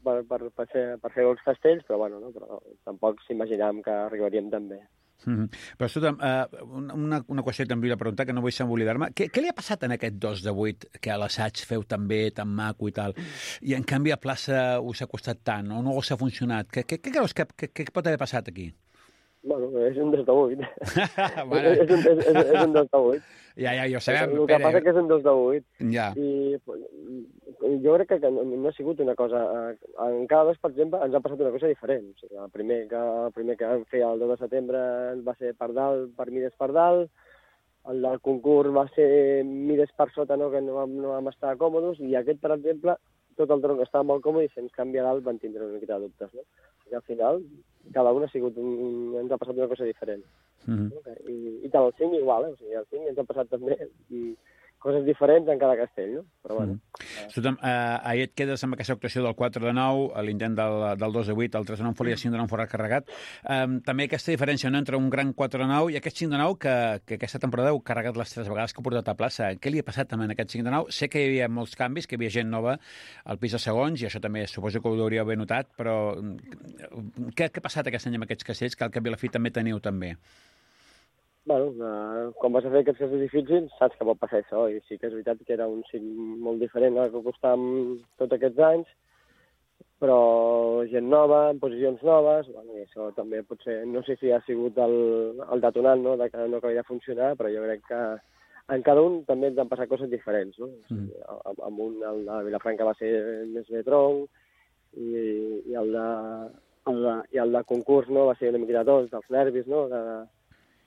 fer els castells, però bueno, no? Però tampoc s'imaginàvem que arribaríem tan bé. Però, escolta'm, una qüestió que t'envio a preguntar, que no vull oblidar-me. Què li ha passat en aquest 2 de 8, que a l'assaig feu tan bé, tan maco i tal, i en canvi a plaça us ha costat tant, o no us ha funcionat? Què creus que pot haver passat aquí? Bueno, és un 2 de 8. Bueno. És un 2 de 8. Ja ho sabem, El que passa que és un 2 de 8. Ja. I jo crec que no ha sigut una cosa... En cada dos, per exemple, ens ha passat una cosa diferent. O sigui, el primer que vam fer el 2 de setembre va ser per dalt, per mides per dalt, el del concurs va ser mides per sota, no, que no vam estar còmodes, i aquest, per exemple, tot el tronc estava molt còmode i si ens canvia dalt van tindre una miqueta de dubtes, no? I al final, cada un ha sigut ens ha passat una cosa diferent. I tant el 5 igual, o sigui, el 5 ens ha passat també coses diferents en cada castell, no? Però bueno. Ahir et quedes amb aquesta actuació del 4 de 9, l'intent del 2 de 8, el 3 de 9 en folia, 5 de 9 en forat carregat. També aquesta diferència, no?, entre un gran 4 de 9 i aquest 5 de 9 que aquesta temporada heu carregat les 3 vegades que ha portat a plaça. Què li ha passat també en aquest 5 de 9? Sé que hi havia molts canvis, que hi havia gent nova al pis de segons, i això també suposo que ho hauríeu haver notat, però què ha passat aquest any amb aquests castells que al cap i a la fi també teniu també? Bueno, quan vas a fer aquests castells difícils, saps que pot passar això, i sí que és veritat que era un cim molt diferent al que costàvem tots aquests anys, però gent nova, en posicions noves, bueno, i això també potser, no sé si ha sigut el detonant, no?, de que no acabi de funcionar, però jo crec que en cada un també ens han passat coses diferents, no? O sigui, amb un, el de Vilafranca va ser més bé tronc, i el de concurs, no?, va ser una miqueta tots, dels nervis, no?,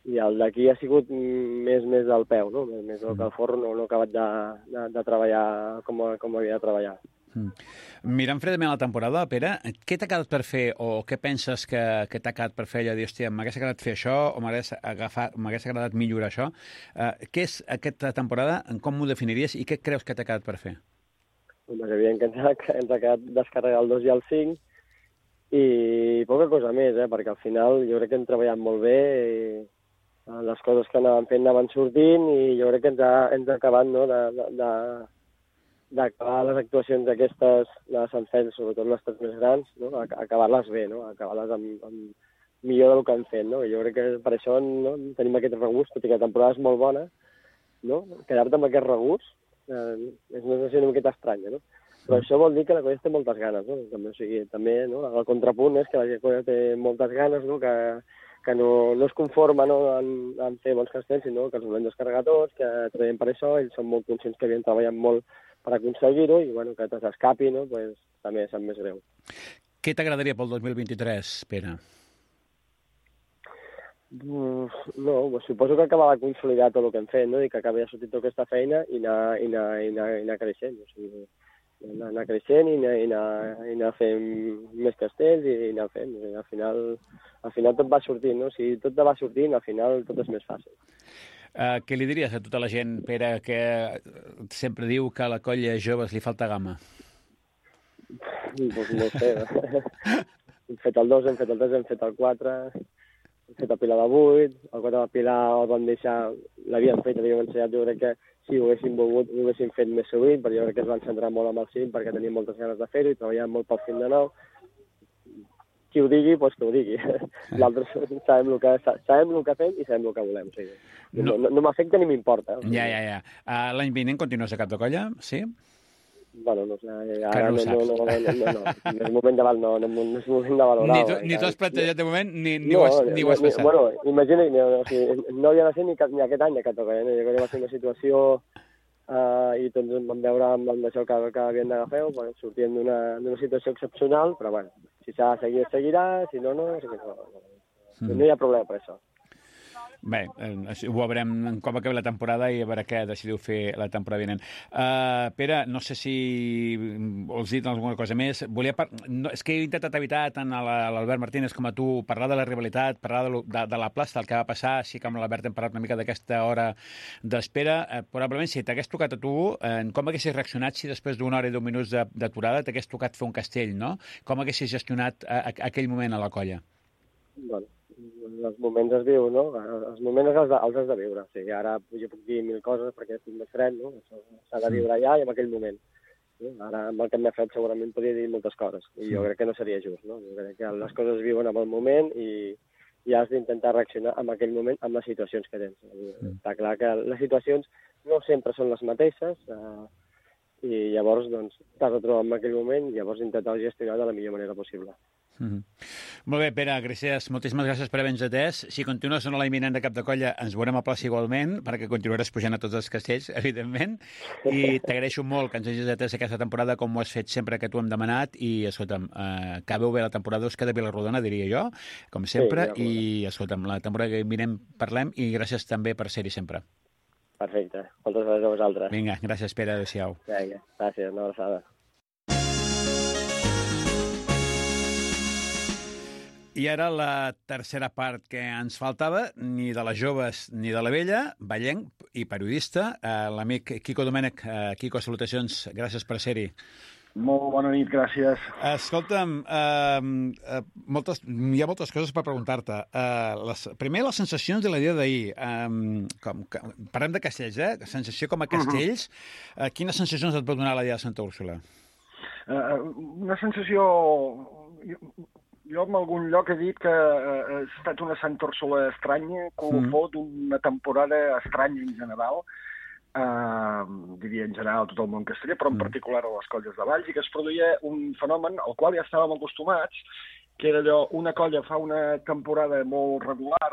i el d'aquí ha sigut més del peu, no? Més que el forro no ha acabat de treballar com havia de treballar. Mirant fredament la temporada, Pere, què t'ha quedat per fer o què penses que t'ha quedat per fer allò de dir, hòstia, m'hagués agradat fer això o m'hagués agradat millorar això? Què és aquesta temporada? Com m'ho definiries i què creus que t'ha quedat per fer? És evident que ens ha quedat descarregar el 2 i el 5 i poca cosa més, perquè al final jo crec que hem treballat molt bé i les coses que anàvem fent anaven sortint i jo crec que ens ha acabat, no?, d'acabar les actuacions aquestes de Sant Fèlix, sobretot les 3 més grans, no?, acabar-les bé, no?, acabar-les amb millor del que hem fet, no? Jo crec que per això, no?, tenim aquest regust, tot i que la temporada és molt bona, no?, quedar-te amb aquest regust és una sensació una miqueta estranya, no? Però això vol dir que la colla té moltes ganes, no? També, o sigui, també, no?, el contrapunt és que la colla té moltes ganes, no?, que no es conforma, no?, en fer bons castells, sinó que els volem descarregar tots, que treballem per això, ells són molt conscients que havien treballat molt per aconseguir-ho i, bueno, que s'escapi, no?, pues, també sap més greu. Què t'agradaria pel 2023, Pere? No, suposo que acabar de consolidar tot el que hem fet, no?, i que acabi de sortir tota aquesta feina i anar creixent, o sigui, anar creixent i anar fent més castells i anar fent. Al final tot va sortint, no? Si tot va sortint, al final tot és més fàcil. Què li diries a tota la gent, Pere, que sempre diu que a la colla joves li falta gamma? Doncs no ho sé. Hem fet el 2, hem fet el 3, hem fet el 4, hem fet el Pilar de 8, el 4 del Pilar el vam deixar, l'havíem fet, l'havíem ensenyat, jo crec que si ho haguéssim volgut, ho haguéssim fet més sovint, però jo crec que es van centrar molt amb el 5 perquè teníem moltes ganes de fer-ho i treballàvem molt pel 5 de 9. Qui ho digui, doncs que ho digui. Nosaltres sabem el que fem i sabem el que volem. O sigui, no m'afecta ni m'importa. Ja. L'any vinent continues a cap de colla, sí? Bueno, no sé, ara no és moment de valorar. Ni t'ho has plantejat de moment, ni ho has passat. Bueno, imagina, no havia de ser ni aquest any a Catalunya, jo crec que va ser una situació i tots vam veure amb això que havien d'agafar, sortint d'una situació excepcional, però bueno, si s'ha de seguir, seguirà, si no, no hi ha problema per això. Bé, ho veurem com acabi la temporada i a veure què decidiu fer la temporada vinent. Pere, no sé si vols dir alguna cosa més. És que he intentat evitar tant a l'Albert Martínez com a tu parlar de la rivalitat, parlar de la plaça, del que va passar, així que amb l'Albert hem parlat una mica d'aquesta hora d'espera. Probablement, si t'hagués tocat a tu, com haguessis reaccionat si després d'una hora i 10 minuts d'aturada t'hagués tocat fer un castell, no? Com haguessis gestionat aquell moment a la colla? Bueno, els moments es viu, no? Els moments els has de viure. O sigui, ara jo puc dir 1000 coses perquè estic més fred, no? Això s'ha de viure allà i en aquell moment. Ara, amb el que m'he fet, segurament podria dir moltes coses. I jo crec que no seria just, no? Jo crec que les coses es viuen en el moment i has d'intentar reaccionar en aquell moment amb les situacions que tens. Està clar que les situacions no sempre són les mateixes i llavors, doncs, t'has de trobar en aquell moment i llavors intentar gestionar de la millor manera possible. Molt bé, Pere, gràcies. Moltíssimes gràcies per haver-nos atès. Si continues en la imminent de cap de colla, ens veurem a plaça igualment, perquè continuaràs pujant a tots els castells, evidentment, i t'agraeixo molt que ens hagis atès aquesta temporada com ho has fet sempre que t'ho hem demanat, i, escolta'm, acabeu bé la temporada, us queda Vilarrodona, diria jo, com sempre, i, escolta'm, la temporada que vinent parlem, i gràcies també per ser-hi sempre. Perfecte. Moltes gràcies a vosaltres. Vinga, gràcies, Pere, adéu-siau. Vinga, gràcies, una abraçada. I ara la tercera part que ens faltava, ni de les joves ni de la vella, ballenc i periodista, l'amic Quico Domènech. Quico, salutacions, gràcies per ser-hi. Molt bona nit, gràcies. Escolta'm, hi ha moltes coses per preguntar-te. Primer, les sensacions de la dia d'ahir. Parlem de castells, sensació com a castells. Quines sensacions et pot donar la dia de Santa Úrsula? Una sensació... Jo en algun lloc he dit que ha estat una Santa Úrsula estranya, colofó d'una temporada estranya en general, diria en general tot el món casteller, però en particular a les colles de Valls, i que es produïa un fenomen al qual ja estàvem acostumats, que era allò, una colla fa una temporada molt regular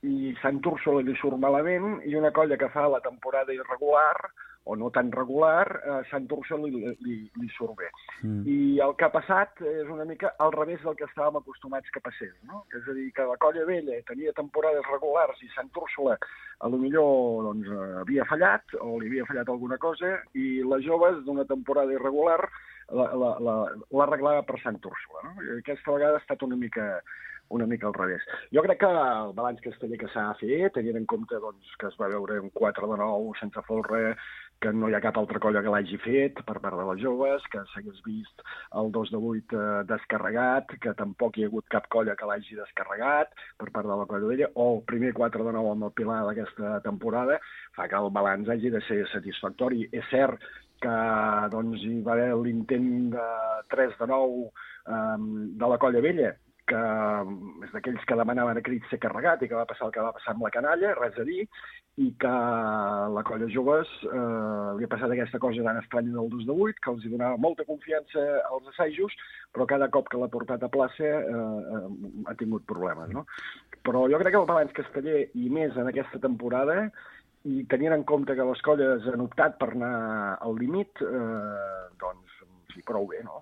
i Santa Úrsula li surt malament, i una colla que fa la temporada irregular, o no tan regular, Santa Úrsula li surt bé. I el que ha passat és una mica al revés del que estàvem acostumats que passés, no? És a dir, que la colla vella tenia temporades regulars i Santa Úrsula potser doncs, havia fallat, o li havia fallat alguna cosa, i les joves d'una temporada irregular l'arreglava per Santa Úrsula, no? I aquesta vegada ha estat una mica al revés. Jo crec que el balanç casteller que s'ha fet, tenint en compte doncs, que es va veure un 4 de 9 sense folre, que no hi ha cap altra colla que l'hagi fet per part de les joves, que s'hagués vist el 2 de 8 descarregat, que tampoc hi ha hagut cap colla que l'hagi descarregat per part de la colla d'ella, o el primer 4 de 9 amb el Pilar d'aquesta temporada, fa que el balanç hagi de ser satisfactori. És cert que doncs, hi va haver l'intent de 3 de 9 de la colla vella, que és d'aquells que demanaven a crits ser carregat i que va passar el que va passar amb la canalla, res a dir, i que la colla joves li ha passat aquesta cosa tan estranya del 2 de 8, que els donava molta confiança als assajos, però cada cop que l'ha portat a plaça ha tingut problemes, no? Però jo crec que el balanç casteller, i més en aquesta temporada, i tenint en compte que les colles han optat per anar al límit, doncs sí, prou bé, no?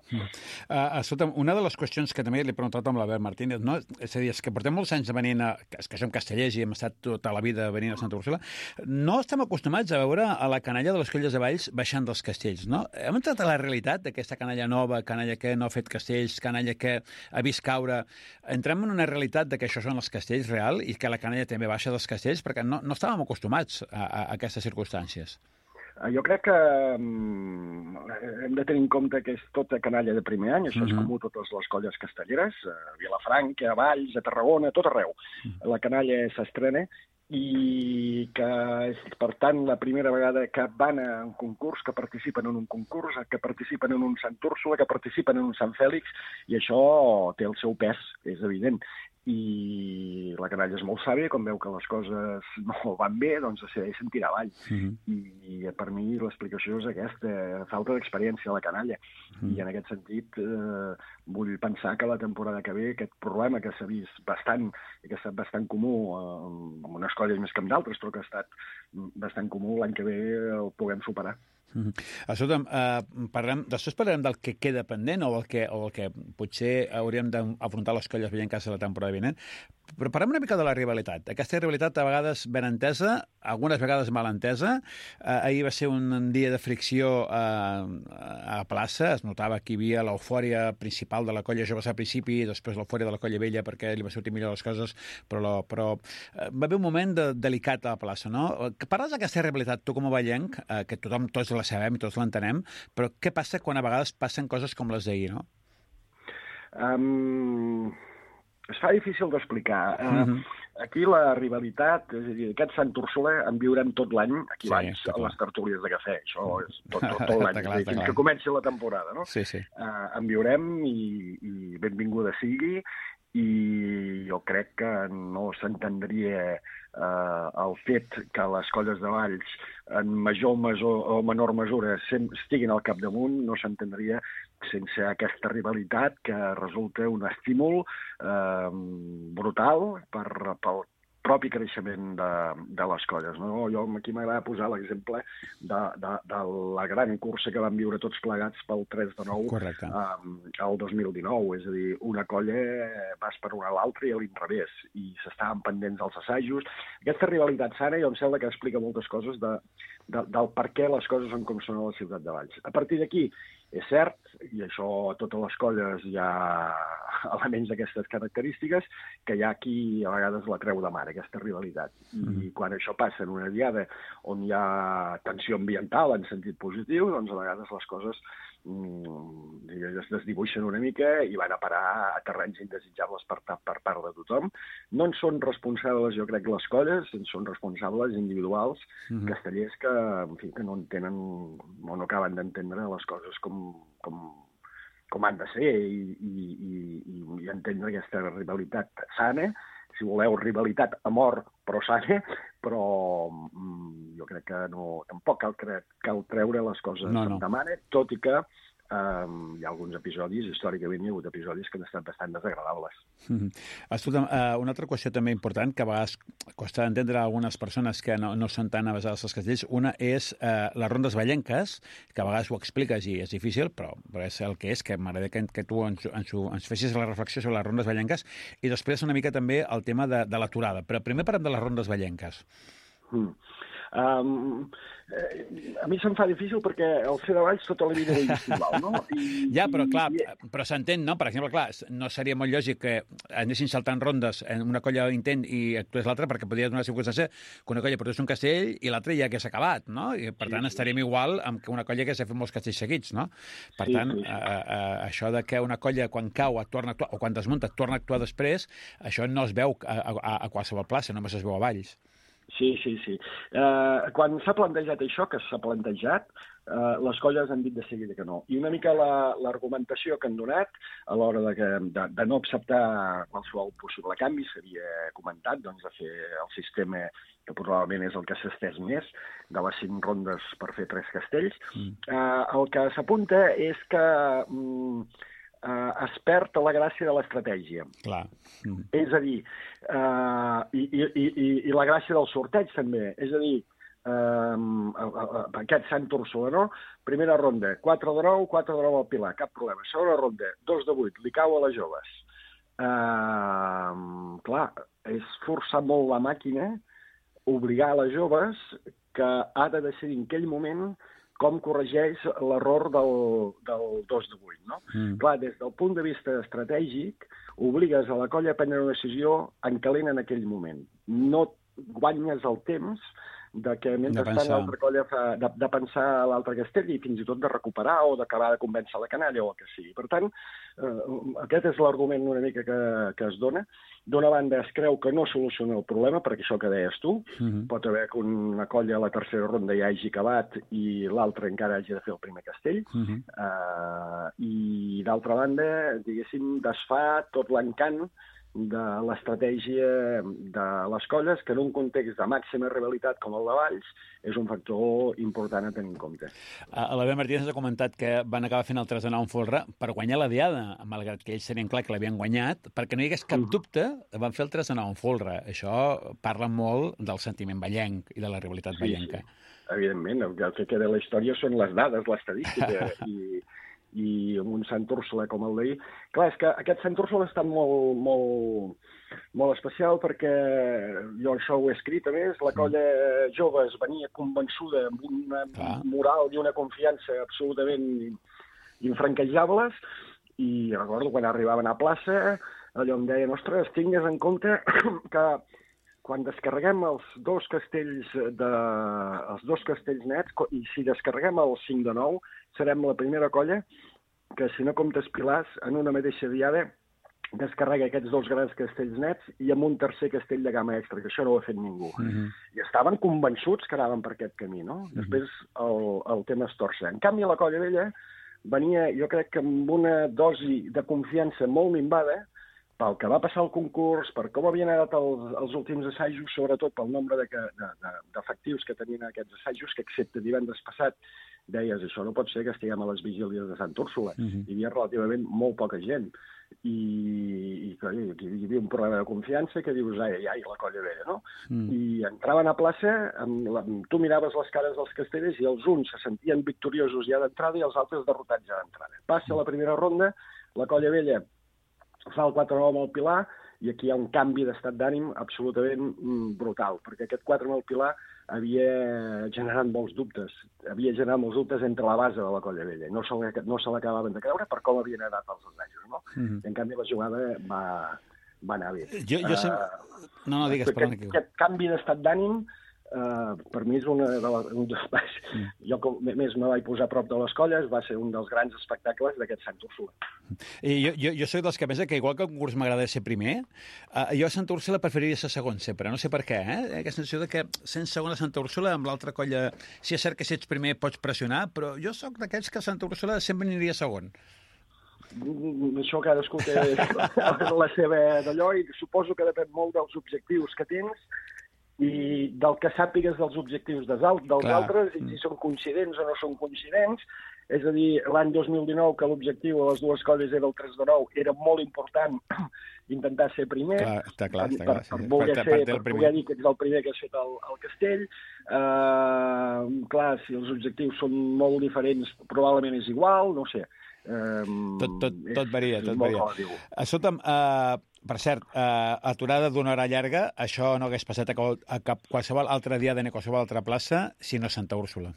Escolta'm, una de les qüestions que també li he preguntat amb l'Albert Martínez, no? És a dir, és que portem molts anys venint és que som castellers i hem estat tota la vida venint a Santa Úrsula, no estem acostumats a veure a la canalla de les colles de Valls baixant dels castells, no? Hem entrat a la realitat d'aquesta canalla nova, canalla que no ha fet castells, canalla que ha vist caure. Entrem en una realitat de que això són els castells real i que la canalla també baixa dels castells, perquè no estàvem acostumats a aquestes circumstàncies. Jo crec que hem de tenir en compte que és tota canalla de primer any, això és comú a totes les colles castelleres, a Vilafranca, a Valls, a Tarragona, a tot arreu. La canalla s'estrena i que és, per tant, la primera vegada que van a un concurs, que participen en un concurs, que participen en un Sant Úrsula, que participen en un Sant Fèlix, i això té el seu pes, és evident. I la canalla és molt sàvia, quan veu que les coses no van bé, doncs decideix tirar avall. I per mi l'explicació és aquesta, falta d'experiència a la canalla. I en aquest sentit vull pensar que la temporada que ve aquest problema que s'ha vist bastant, i que ha estat bastant comú en unes colles més que en d'altres, però que ha estat bastant comú, l'any que ve el puguem superar. Escolta'm, després parlarem del que queda pendent o el que potser hauríem d'afrontar les colles vellenques a la temporada vinent, però parlem una mica de la rivalitat. Aquesta rivalitat a vegades ben entesa, algunes vegades mal entesa. Ahir va ser un dia de fricció a plaça, es notava que hi havia l'eufòria principal de la colla joves al principi i després l'eufòria de la colla vella perquè li va sortir millor les coses, però va haver un moment delicat a la plaça, no? Parles d'aquesta rivalitat, tu com a ballenc, que tots la sabem i tots l'entenem, però què passa quan a vegades passen coses com les d'ahir, no? Es fa difícil d'explicar. Aquí la rivalitat, és a dir, aquest Sant Úrsula en viurem tot l'any, aquí baix, a les tertúlies de cafè. Això és tot l'any, fins que comenci la temporada, no? Sí. En viurem i benvinguda sigui, i jo crec que no s'entendria el fet que les colles de Valls en major o menor mesura estiguin al capdamunt, no s'entendria sense aquesta rivalitat que resulta un estímul brutal pel propi creixement de les colles. No? Jo aquí m'agrada posar l'exemple de la gran cursa que vam viure tots plegats pel 3 de 9 al 2019. És a dir, una colla vas per una a l'altra i a l'inrevés, i s'estaven pendents dels assajos. Aquesta rivalitat sana, jo em sembla que explica moltes coses del per què les coses són com són a la ciutat de Valls. A partir d'aquí, és cert, i això a totes les colles hi ha elements d'aquestes característiques, que hi ha qui a vegades la treu de mar, aquesta rivalitat. I quan això passa en una diada on hi ha tensió ambiental en sentit positiu, doncs a vegades les coses es desdibuixen una mica i van a parar a terrenys indesitjables per part de tothom. No en són responsables, jo crec, les colles, en són responsables individuals, castellers que, en fi, que no entenen o no acaben d'entendre les coses com han de ser i entendre aquesta rivalitat sana, si voleu, rivalitat a mort, però sana, però jo crec que tampoc cal treure les coses de mare, tot i que hi ha alguns episodis, històricament hi ha hagut episodis que han estat bastant desagradables. Escolta'm, una altra qüestió també important que a vegades costa d'entendre a algunes persones que no són tan avesades als castells, una és les rondes vallenques, que a vegades ho expliques i és difícil, però és el que és, que m'agrada que tu ens fessis la reflexió sobre les rondes vallenques, i després una mica també el tema de l'aturada. Però primer parlem de les rondes vallenques. A mi se'm fa difícil perquè el ser de Valls tota la vida era igual, no? Ja, però clar, però s'entén, no? Per exemple, clar, no seria molt lògic que anessin saltant rondes en una colla intent i actués l'altra, perquè podria donar la circumstància que una colla portés un castell i l'altra ja hagués acabat, no? I per tant estaríem igual amb que una colla hagués fet molts castells seguits, no? Per tant, això de que una colla quan cau et torna a actuar, o quan desmunta et torna a actuar després, això no es veu a qualsevol plaça, només es veu a Valls. Sí. Quan s'ha plantejat això, que s'ha plantejat, les colles han dit de seguida que no. I una mica l'argumentació que han donat a l'hora de no acceptar qualsevol possible canvi, s'havia comentat, doncs, de fer el sistema que probablement és el que s'ha estès més, de les 5 rondes per fer 3 castells. El que s'apunta és que es perd la gràcia de l'estratègia. Clar. És a dir, i la gràcia del sorteig també. És a dir, aquest Sant Úrsula, no? Primera ronda, 4 de 9, 4 de 9 al Pilar, cap problema. Segona ronda, 2 de 8, li cau a les joves. Clar, és forçar molt la màquina, obligar a les joves que ha de decidir en aquell moment com corregeix l'error del 2 de 8, no? Clar, des del punt de vista estratègic, obligues a la colla a prendre una decisió en calent en aquell moment. No guanyes el temps de que mentrestant l'altra colla de pensar a l'altre castell i fins i tot de recuperar o d'acabar de convèncer la canalla o el que sigui. Per tant, aquest és l'argument una mica que es dona. D'una banda, es creu que no soluciona el problema, perquè això que deies tu, pot haver que una colla a la tercera ronda ja hagi acabat i l'altra encara hagi de fer el primer castell. I d'altra banda, diguéssim, desfà tot l'encant de l'estratègia de les colles, que en un context de màxima rivalitat com el de Valls és un factor important a tenir en compte. L'Albert Martínez ha comentat que van acabar fent el 3 de 9 en folre per guanyar la diada, malgrat que ells tenien clar que l'havien guanyat, perquè no hi hagués cap dubte, van fer el 3 de 9 en folre. Això parla molt del sentiment vallenc i de la rivalitat vallenca. Evidentment, el que queda de la història són les dades, l'estadística, i un Sant Úrsula com el d'ahir. Clar, és que aquest Sant Úrsula ha estat molt especial perquè jo això ho he escrit, a més, la colla jove es venia convençuda amb una moral i una confiança absolutament infranquejables, i recordo quan arribaven a plaça, allò em deien, ostres, tingues en compte que quan descarreguem els dos castells nets, i si descarreguem el 5 de 9, serem la primera colla que, si no comptes pilars, en una mateixa diada descarrega aquests 2 grans castells nets i amb un tercer castell de gamma extra, que això no ho ha fet ningú. I estaven convençuts que anaven per aquest camí, no? Després el tema es torça. En canvi, la colla vella venia, jo crec que amb una dosi de confiança molt minvada, pel que va passar al concurs, per com havien anat els últims assajos, sobretot pel nombre d'efectius que tenien aquests assajos, que excepte divendres passat deies, això no pot ser que estiguem a les vigílies de Sant Úrsula. Hi havia relativament molt poca gent. I clar, hi havia un problema de confiança que dius, ai, la Colla Vella, no? I entraven a plaça, tu miraves les cares dels castellers i els uns se sentien victoriosos ja d'entrada i els altres derrotats ja d'entrada. Passa la primera ronda, la Colla Vella fa el 4-9 amb el Pilar i aquí hi ha un canvi d'estat d'ànim absolutament brutal, perquè aquest 4 amb el Pilar havia generat molts dubtes. Havia generat molts dubtes entre la base de la Colla Vella. No se l'acabaven de creure per com havien anat els assajos, no? I en canvi la jugada va anar bé. No, digues, perdona. Aquest canvi d'estat d'ànim per mi és un dels... Jo, com més me vaig posar a prop de les colles, va ser un dels grans espectacles d'aquest Sant Úrsula. Jo soc dels que pensa que igual que el concurs m'agrada ser primer, jo a Sant Úrsula preferiria ser segon sempre, no sé per què, aquesta sensació de que sent segon a Santa Úrsula amb l'altra colla, si és cert que si ets primer pots pressionar, però jo sóc d'aquells que a Santa Úrsula sempre aniria segon. Això cadascú té la seva d'allò i suposo que depèn molt dels objectius que tens i del que sàpigues dels objectius dels altres, i si són coincidents o no són coincidents. És a dir, l'any 2019, que l'objectiu de les dues colles era el 3-9, era molt important intentar ser primer, està clar, per poder dir que ets el primer que has fet el castell. Clar, si els objectius són molt diferents, probablement és igual, no sé. Tot varia. Escolta'm, per cert, aturada d'una hora llarga, això no hagués passat a qualsevol altre dia de qualsevol altra plaça, sinó a Santa Úrsula.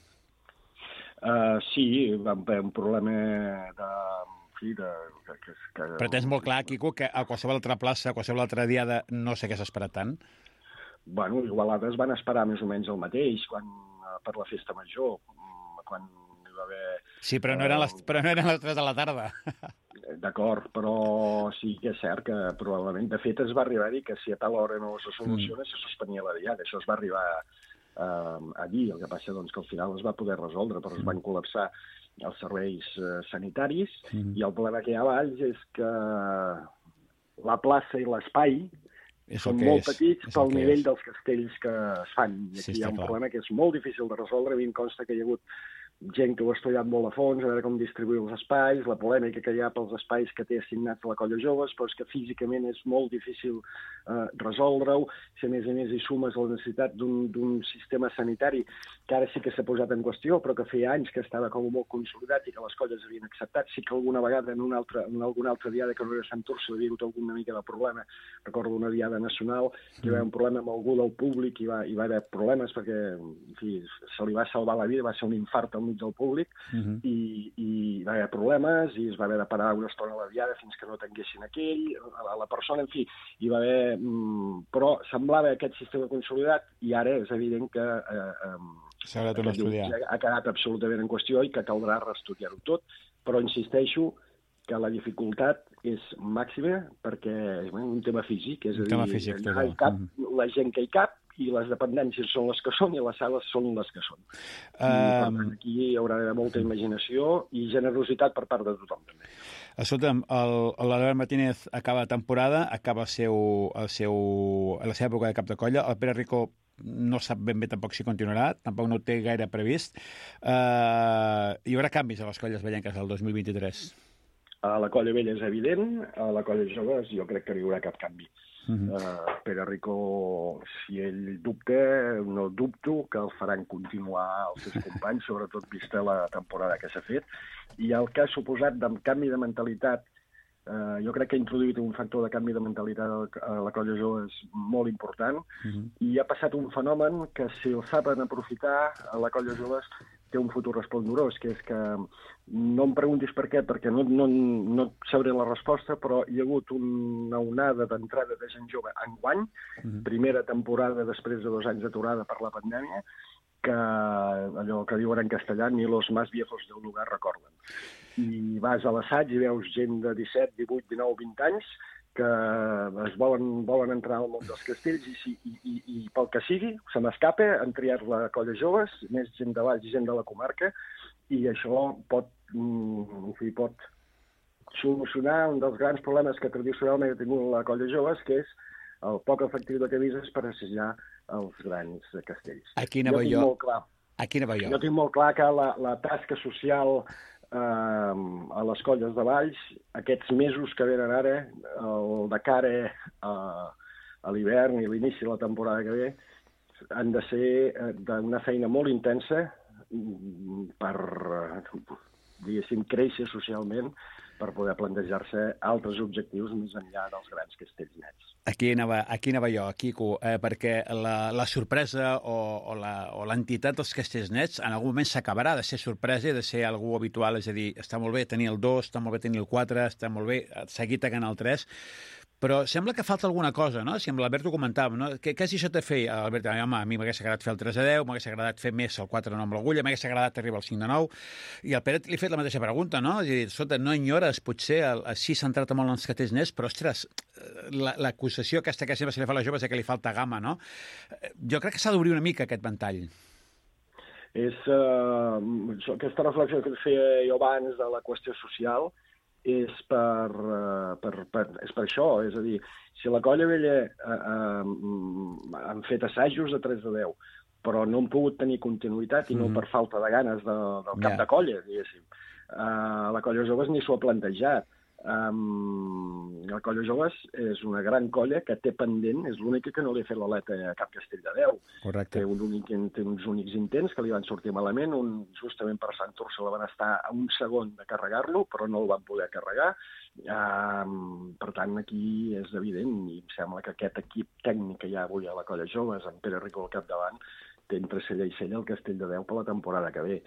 Sí, vam haver un problema de... Però tens molt clar, Quico, que a qualsevol altra plaça, a qualsevol altre dia de no sé què s'ha esperat tant? Bueno, igualades van esperar més o menys el mateix per la festa major, quan hi va haver... Sí, però no eren les 3 de la tarda. D'acord, però sí que és cert que probablement, de fet, es va arribar a dir que si a tal hora no se soluciona, se suspenia la diada. Això es va arribar a dir. El que passa doncs, que al final es va poder resoldre, però es van col·lapsar els serveis sanitaris i el problema que hi ha a Valls és que la plaça i l'espai són molt petits pel nivell dels castells que es fan. I aquí hi ha un problema que és molt difícil de resoldre. A mi em consta que hi ha hagut gent que ho ha estudiat molt a fons, a veure com distribuir els espais, la polèmica que hi ha pels espais que té assignats a la Colla Joves, però és que físicament és molt difícil resoldre-ho. Si a més hi sumes la necessitat d'un sistema sanitari que ara sí que s'ha posat en qüestió, però que feia anys que estava com molt consolidat i que les colles havien acceptat. Sí que alguna vegada en alguna altra diada que no era Sant Úrsula havia hagut alguna mica de problema. Recordo una diada nacional que hi va haver un problema amb algú del públic i va haver problemes perquè en fi, se li va salvar la vida, va ser un infart al mig del públic i va haver problemes i es va haver de parar una estona a la diada fins que no tanguessin la persona, en fi, hi va haver... Però semblava aquest sistema consolidat i ara és evident que ha quedat absolutament en qüestió i que caldrà reestudiar-ho tot, però insisteixo que la dificultat és màxima perquè és un tema físic, és a dir, la gent que hi cap i les dependències són les que són i les sales són les que són. I, per tant, aquí hi haurà d'haver molta imaginació i generositat per part de tothom, també. Escolta'm, l'Albert Martínez acaba temporada, acaba la seva època de cap de colla, el Pere Rico no sap ben bé tampoc si continuarà, tampoc no ho té gaire previst. Hi haurà canvis a les colles vellenques del 2023? A la Colla Vella és evident, a la Colla Joves jo crec que no hi haurà cap canvi. Pere Rico, si ell dubta, no dubto que el faran continuar els seus companys, sobretot vista la temporada que s'ha fet. I el que ha suposat de canvi de mentalitat, jo crec que ha introduït un factor de canvi de mentalitat a la Colla Joves molt important i ha passat un fenomen que, si el saben aprofitar, a la Colla Joves té un futur esplendorós, que és que no em preguntis per què, perquè no sabré la resposta, però hi ha hagut una onada d'entrada de gent jove enguany, primera temporada després de 2 anys d'aturada per la pandèmia, que allò que diuen en castellà, ni los más viejos del lugar recorden. I vas a l'assaig i veus gent de 17, 18, 19, 20 anys que es volen entrar al món dels castells i pel que sigui, se m'escapa, han triat la Colla Joves, més gent de Valls i gent de la comarca, i això pot solucionar un dels grans problemes que tradicionalment ha tingut la colla joves, que és el poc efectiu de camises per assajar els grans castells. Aquí anava jo. Jo tinc molt clar que la tasca social a les colles de Valls, aquests mesos que venen ara, el de cara a l'hivern i l'inici de la temporada que ve, han de ser d'una feina molt intensa per, diguéssim, créixer socialment, per poder plantejar-se altres objectius més enllà dels grans castells nets. Aquí anava jo, Quico, perquè la sorpresa o l'entitat dels castells nets en algun moment s'acabarà de ser sorpresa i de ser algú habitual, és a dir, està molt bé tenir el 2, està molt bé tenir el 4, està molt bé seguir tacant el 3, però sembla que falta alguna cosa, no? Si amb l'Albert ho comentàvem, no? Què si això te feia? Albert, home, a mi m'hagués agradat fer el 3-10, m'hagués agradat fer més el 4 amb l'agulla, m'hagués agradat arribar al 5-9, i al Pere li he fet la mateixa pregunta, no? És a dir, escolta, no enyores, potser així centrat molt en els castells nets, però, ostres, l'acusació aquesta que sempre se li fa a les joves és que li falta gamma, no? Jo crec que s'ha d'obrir una mica aquest ventall. Aquesta reflexió que feia jo abans de la qüestió social és per això, és a dir, si la colla vella han fet assajos de 3-10, però no han pogut tenir continuïtat i no per falta de ganes del cap de colla, diguéssim. La colla joves ni s'ho ha plantejat. La colla joves és una gran colla que té pendent, és l'única que no li ha fet l'aleta a cap castell de 10. Correcte. Té uns únics intents que li van sortir malament, justament per Sant Úrsula van estar a un segon de carregar-lo, però no el van poder carregar. Per tant, aquí és evident, i em sembla que aquest equip tècnic que hi ha avui a la colla joves, amb Pere Rico al capdavant, té entre cella i cella el castell de 10 per la temporada que ve.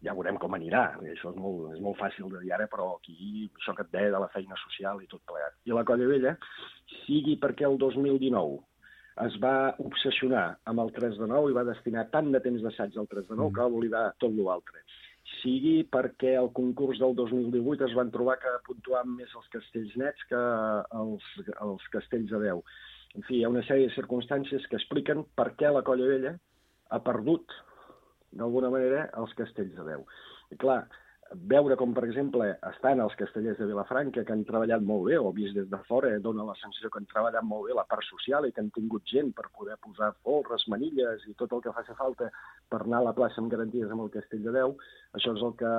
Ja veurem com anirà, això és molt fàcil de dir ara, però aquí això que et deia de la feina social i tot plegat. I la colla vella, sigui perquè el 2019 es va obsessionar amb el 3-9 i va destinar tant de temps d'assaig al 3-9 que va oblidar tot l'altre. Sigui perquè el concurs del 2018 es van trobar que puntuaven més els castells nets que els castells de 10. En fi, hi ha una sèrie de circumstàncies que expliquen per què la colla vella ha perdut, d'alguna manera, els castells de 10. I clar, veure com, per exemple, estan els castellers de Vilafranca, que han treballat molt bé, o vist des de fora, dona la sensació que han treballat molt bé la part social i que han tingut gent per poder posar folres, manilles i tot el que faci falta per anar a la plaça amb garanties amb el castell de 10. Això és el que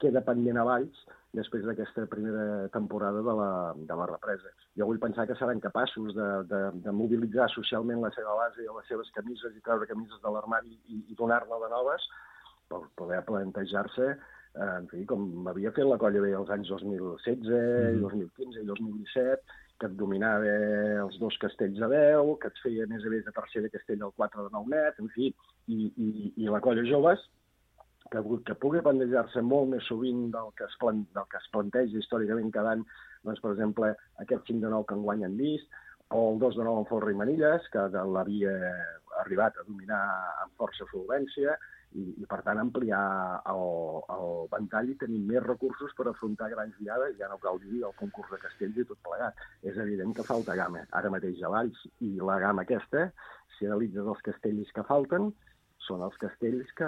queda pendent a Valls després d'aquesta primera temporada de la represa. Jo vull pensar que seran capaços de mobilitzar socialment la seva base i les seves camises i treure camises de l'armari i donar-ne de noves per poder plantejar-se, en fi, com havia fet la colla bé els anys 2016, 2015 i 2017, que et dominava els 2 castells de 10, que et feia més a més de tercera castell del 4-9 net, en fi, i la colla joves, que pugui plantejar-se molt més sovint del que es planteja històricament cada any, doncs, per exemple, aquest 5-9 que enguany han vist, o el 2-9 amb folre i manilles, que l'havia arribat a dominar amb força solvència, i per tant ampliar el ventall i tenir més recursos per afrontar grans diades, ja no cal dir el concurs de castells i tot plegat. És evident que falta gamma ara mateix a Valls, i la gamma aquesta, si analitzes els castells que falten, són els castells que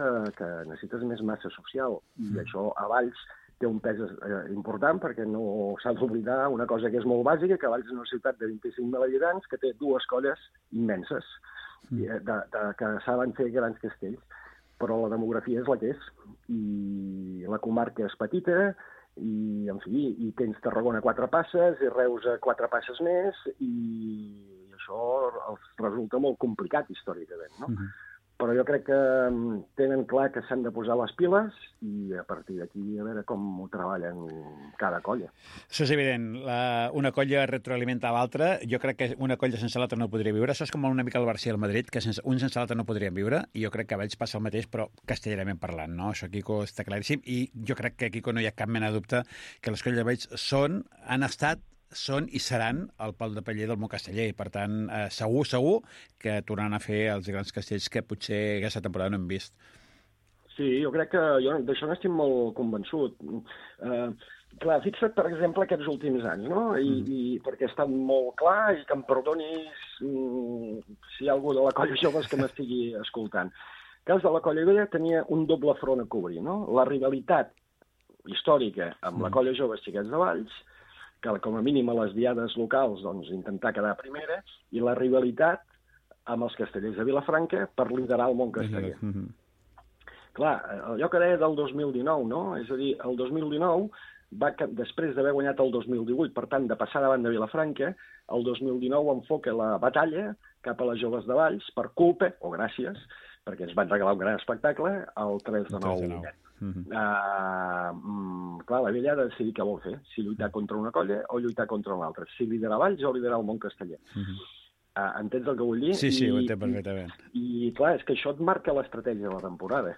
necessites més massa social, i això a Valls té un pes important perquè no s'ha d'oblidar una cosa que és molt bàsica, que Valls és una ciutat de 25.000 habitants que té 2 colles immenses que saben fer grans castells, però la demografia és la que és, i la comarca és petita, i en fi, i tens Tarragona 4 passes i Reus 4 passes més, i això els resulta molt complicat històricament, no? Però jo crec que tenen clar que s'han de posar les piles i a partir d'aquí a veure com ho treballen cada colla. Això és evident. Una colla retroalimenta l'altra. Jo crec que una colla sense l'altra no podria viure. Això és com una mica el Barça i el Madrid, que un sense l'altre no podrien viure, i jo crec que a Valls passa el mateix, però castellerament parlant, no? Això, Quico, està claríssim, i jo crec que, Quico, no hi ha cap mena de dubte que les colles de Valls han estat, són i seran el pal de paller del món casteller, i per tant segur que tornaran a fer els grans castells que potser aquesta temporada no hem vist. Sí, jo crec que d'això n'estic molt convençut. Clar, fixa't, per exemple, aquests últims anys, no? I perquè ha estat molt clar, i que em perdonis si hi ha algú de la colla joves que m'estigui escoltant. El cas de la colla vella tenia un doble front a cobrir, no? La rivalitat històrica amb la colla joves Xiquets de Valls, que com a mínim a les diades locals doncs, intentar quedar primera, i la rivalitat amb els castellers de Vilafranca per liderar el món casteller. Clar, allò que deia del 2019, no? És a dir, el 2019, després d'haver guanyat el 2018, per tant, de passar davant de Vilafranca, el 2019 enfoca la batalla cap a les joves de Valls per culpa, o gràcies, perquè ens van regalar un gran espectacle, el 3 de 9. Clar, la vella ha de decidir què vol fer, si lluitar contra una colla o lluitar contra una altra, si liderar Valls o liderar el món casteller. Entens el que vull dir? Sí, ho entenc perfectament. I clar, és que això et marca l'estratègia de la temporada.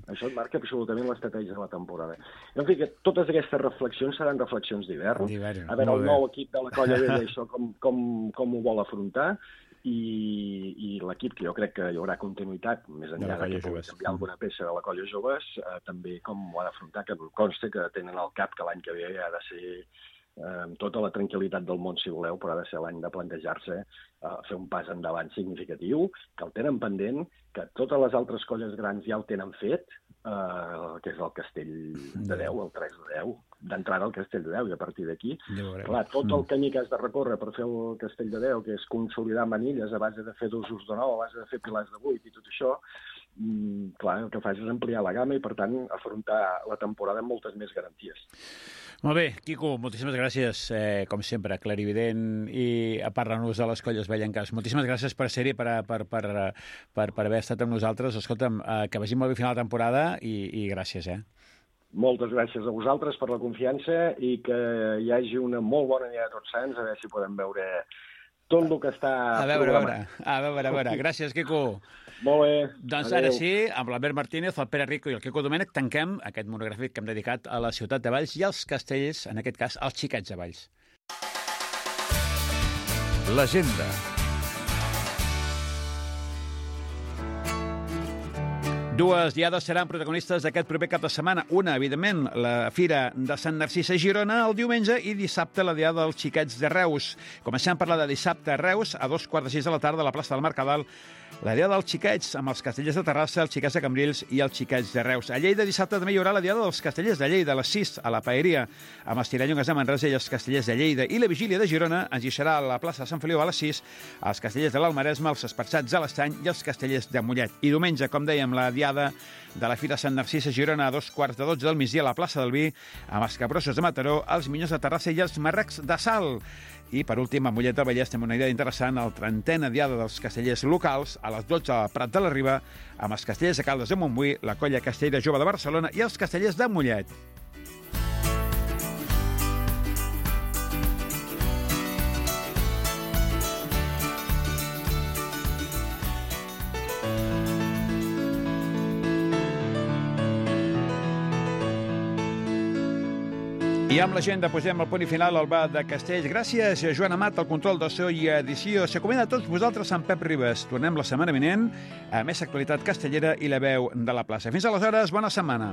Això et marca absolutament l'estratègia de la temporada. En fi, que totes aquestes reflexions seran reflexions d'hivern. A veure, el nou equip de la colla vella, això com ho vol afrontar, i l'equip, que jo crec que hi haurà continuïtat, més enllà que pugui canviar alguna peça de la colla joves, també com ho ha d'afrontar, que em consta que tenen al cap que l'any que ve ha de ser amb tota la tranquil·litat del món, si voleu, però ha de ser l'any de plantejar-se fer un pas endavant significatiu, que el tenen pendent, que totes les altres colles grans ja el tenen fet, que és el Castell de 10, el 3 de 10, d'entrada al Castell de 10, i a partir d'aquí, clar, tot el camí que has de recórrer per fer el Castell de 10, que és consolidar manilles a base de fer dosos de 9, a base de fer pilars de 8 i tot això, clar, el que fas és ampliar la gamma i, per tant, afrontar la temporada amb moltes més garanties. Molt bé, Quico, moltíssimes gràcies, com sempre, clarivident i a parlar-nos de les colles vellenques. Moltíssimes gràcies per ser-hi, per haver estat amb nosaltres. Escolta'm, que vagi molt bé final de temporada i gràcies, Moltes gràcies a vosaltres per la confiança i que hi hagi una molt bona dia a Tots Sants, a veure si podem veure tot el que està programat. A veure. Gràcies, Quico. Molt bé. Doncs ara sí, amb l'Albert Martínez, el Pere Rico i el Quico Domènech, tanquem aquest monogràfic que hem dedicat a la ciutat de Valls i als castells, en aquest cas, als xiquets de Valls. L'agenda. Dues diades seran protagonistes d'aquest proper cap de setmana. Una, evidentment, la Fira de Sant Narcís a Girona el diumenge i dissabte la diada dels xiquets de Reus. Comencem a parlar de dissabte a Reus, a 5:15 de la tarda a la plaça del Mercadal, la diada dels xiquets amb els castellers de Terrassa, els xiquets de Cambrils i els xiquets de Reus. A Lleida dissabte també hi haurà la diada dels castellers de Lleida a les 6 a la Paeria amb els tirallongues de Manresa i els castellers de Lleida. I la vigília de Girona ens deixarà a la plaça de Sant Feliu a les 6 els castellers de l'Almaresme, els esparçats de l'Estany i els castellers de Mollet. I diumenge, com dèiem, la diada de la Fira Sant Narcís a Girona a 2:15 del migdia a la plaça del Vi amb els capgrossos de Mataró, els minyons de Terrassa i els marrecs de Salt. I, per últim, a Mollet del Vallès tenim una idea interessant, el 30è diada dels castellers locals, a les 12 al Prat de la Riba, amb els castellers de Caldes de Montbui, la colla castellera jove de Barcelona i els castellers de Mollet. I amb l'agenda posem el punt i final al bar de Castells. Gràcies a Joan Amat, el control de so i edició. S'acomida a tots vosaltres en Pep Ribes. Tornem la setmana vinent a més actualitat castellera i la veu de la plaça. Fins aleshores, bona setmana.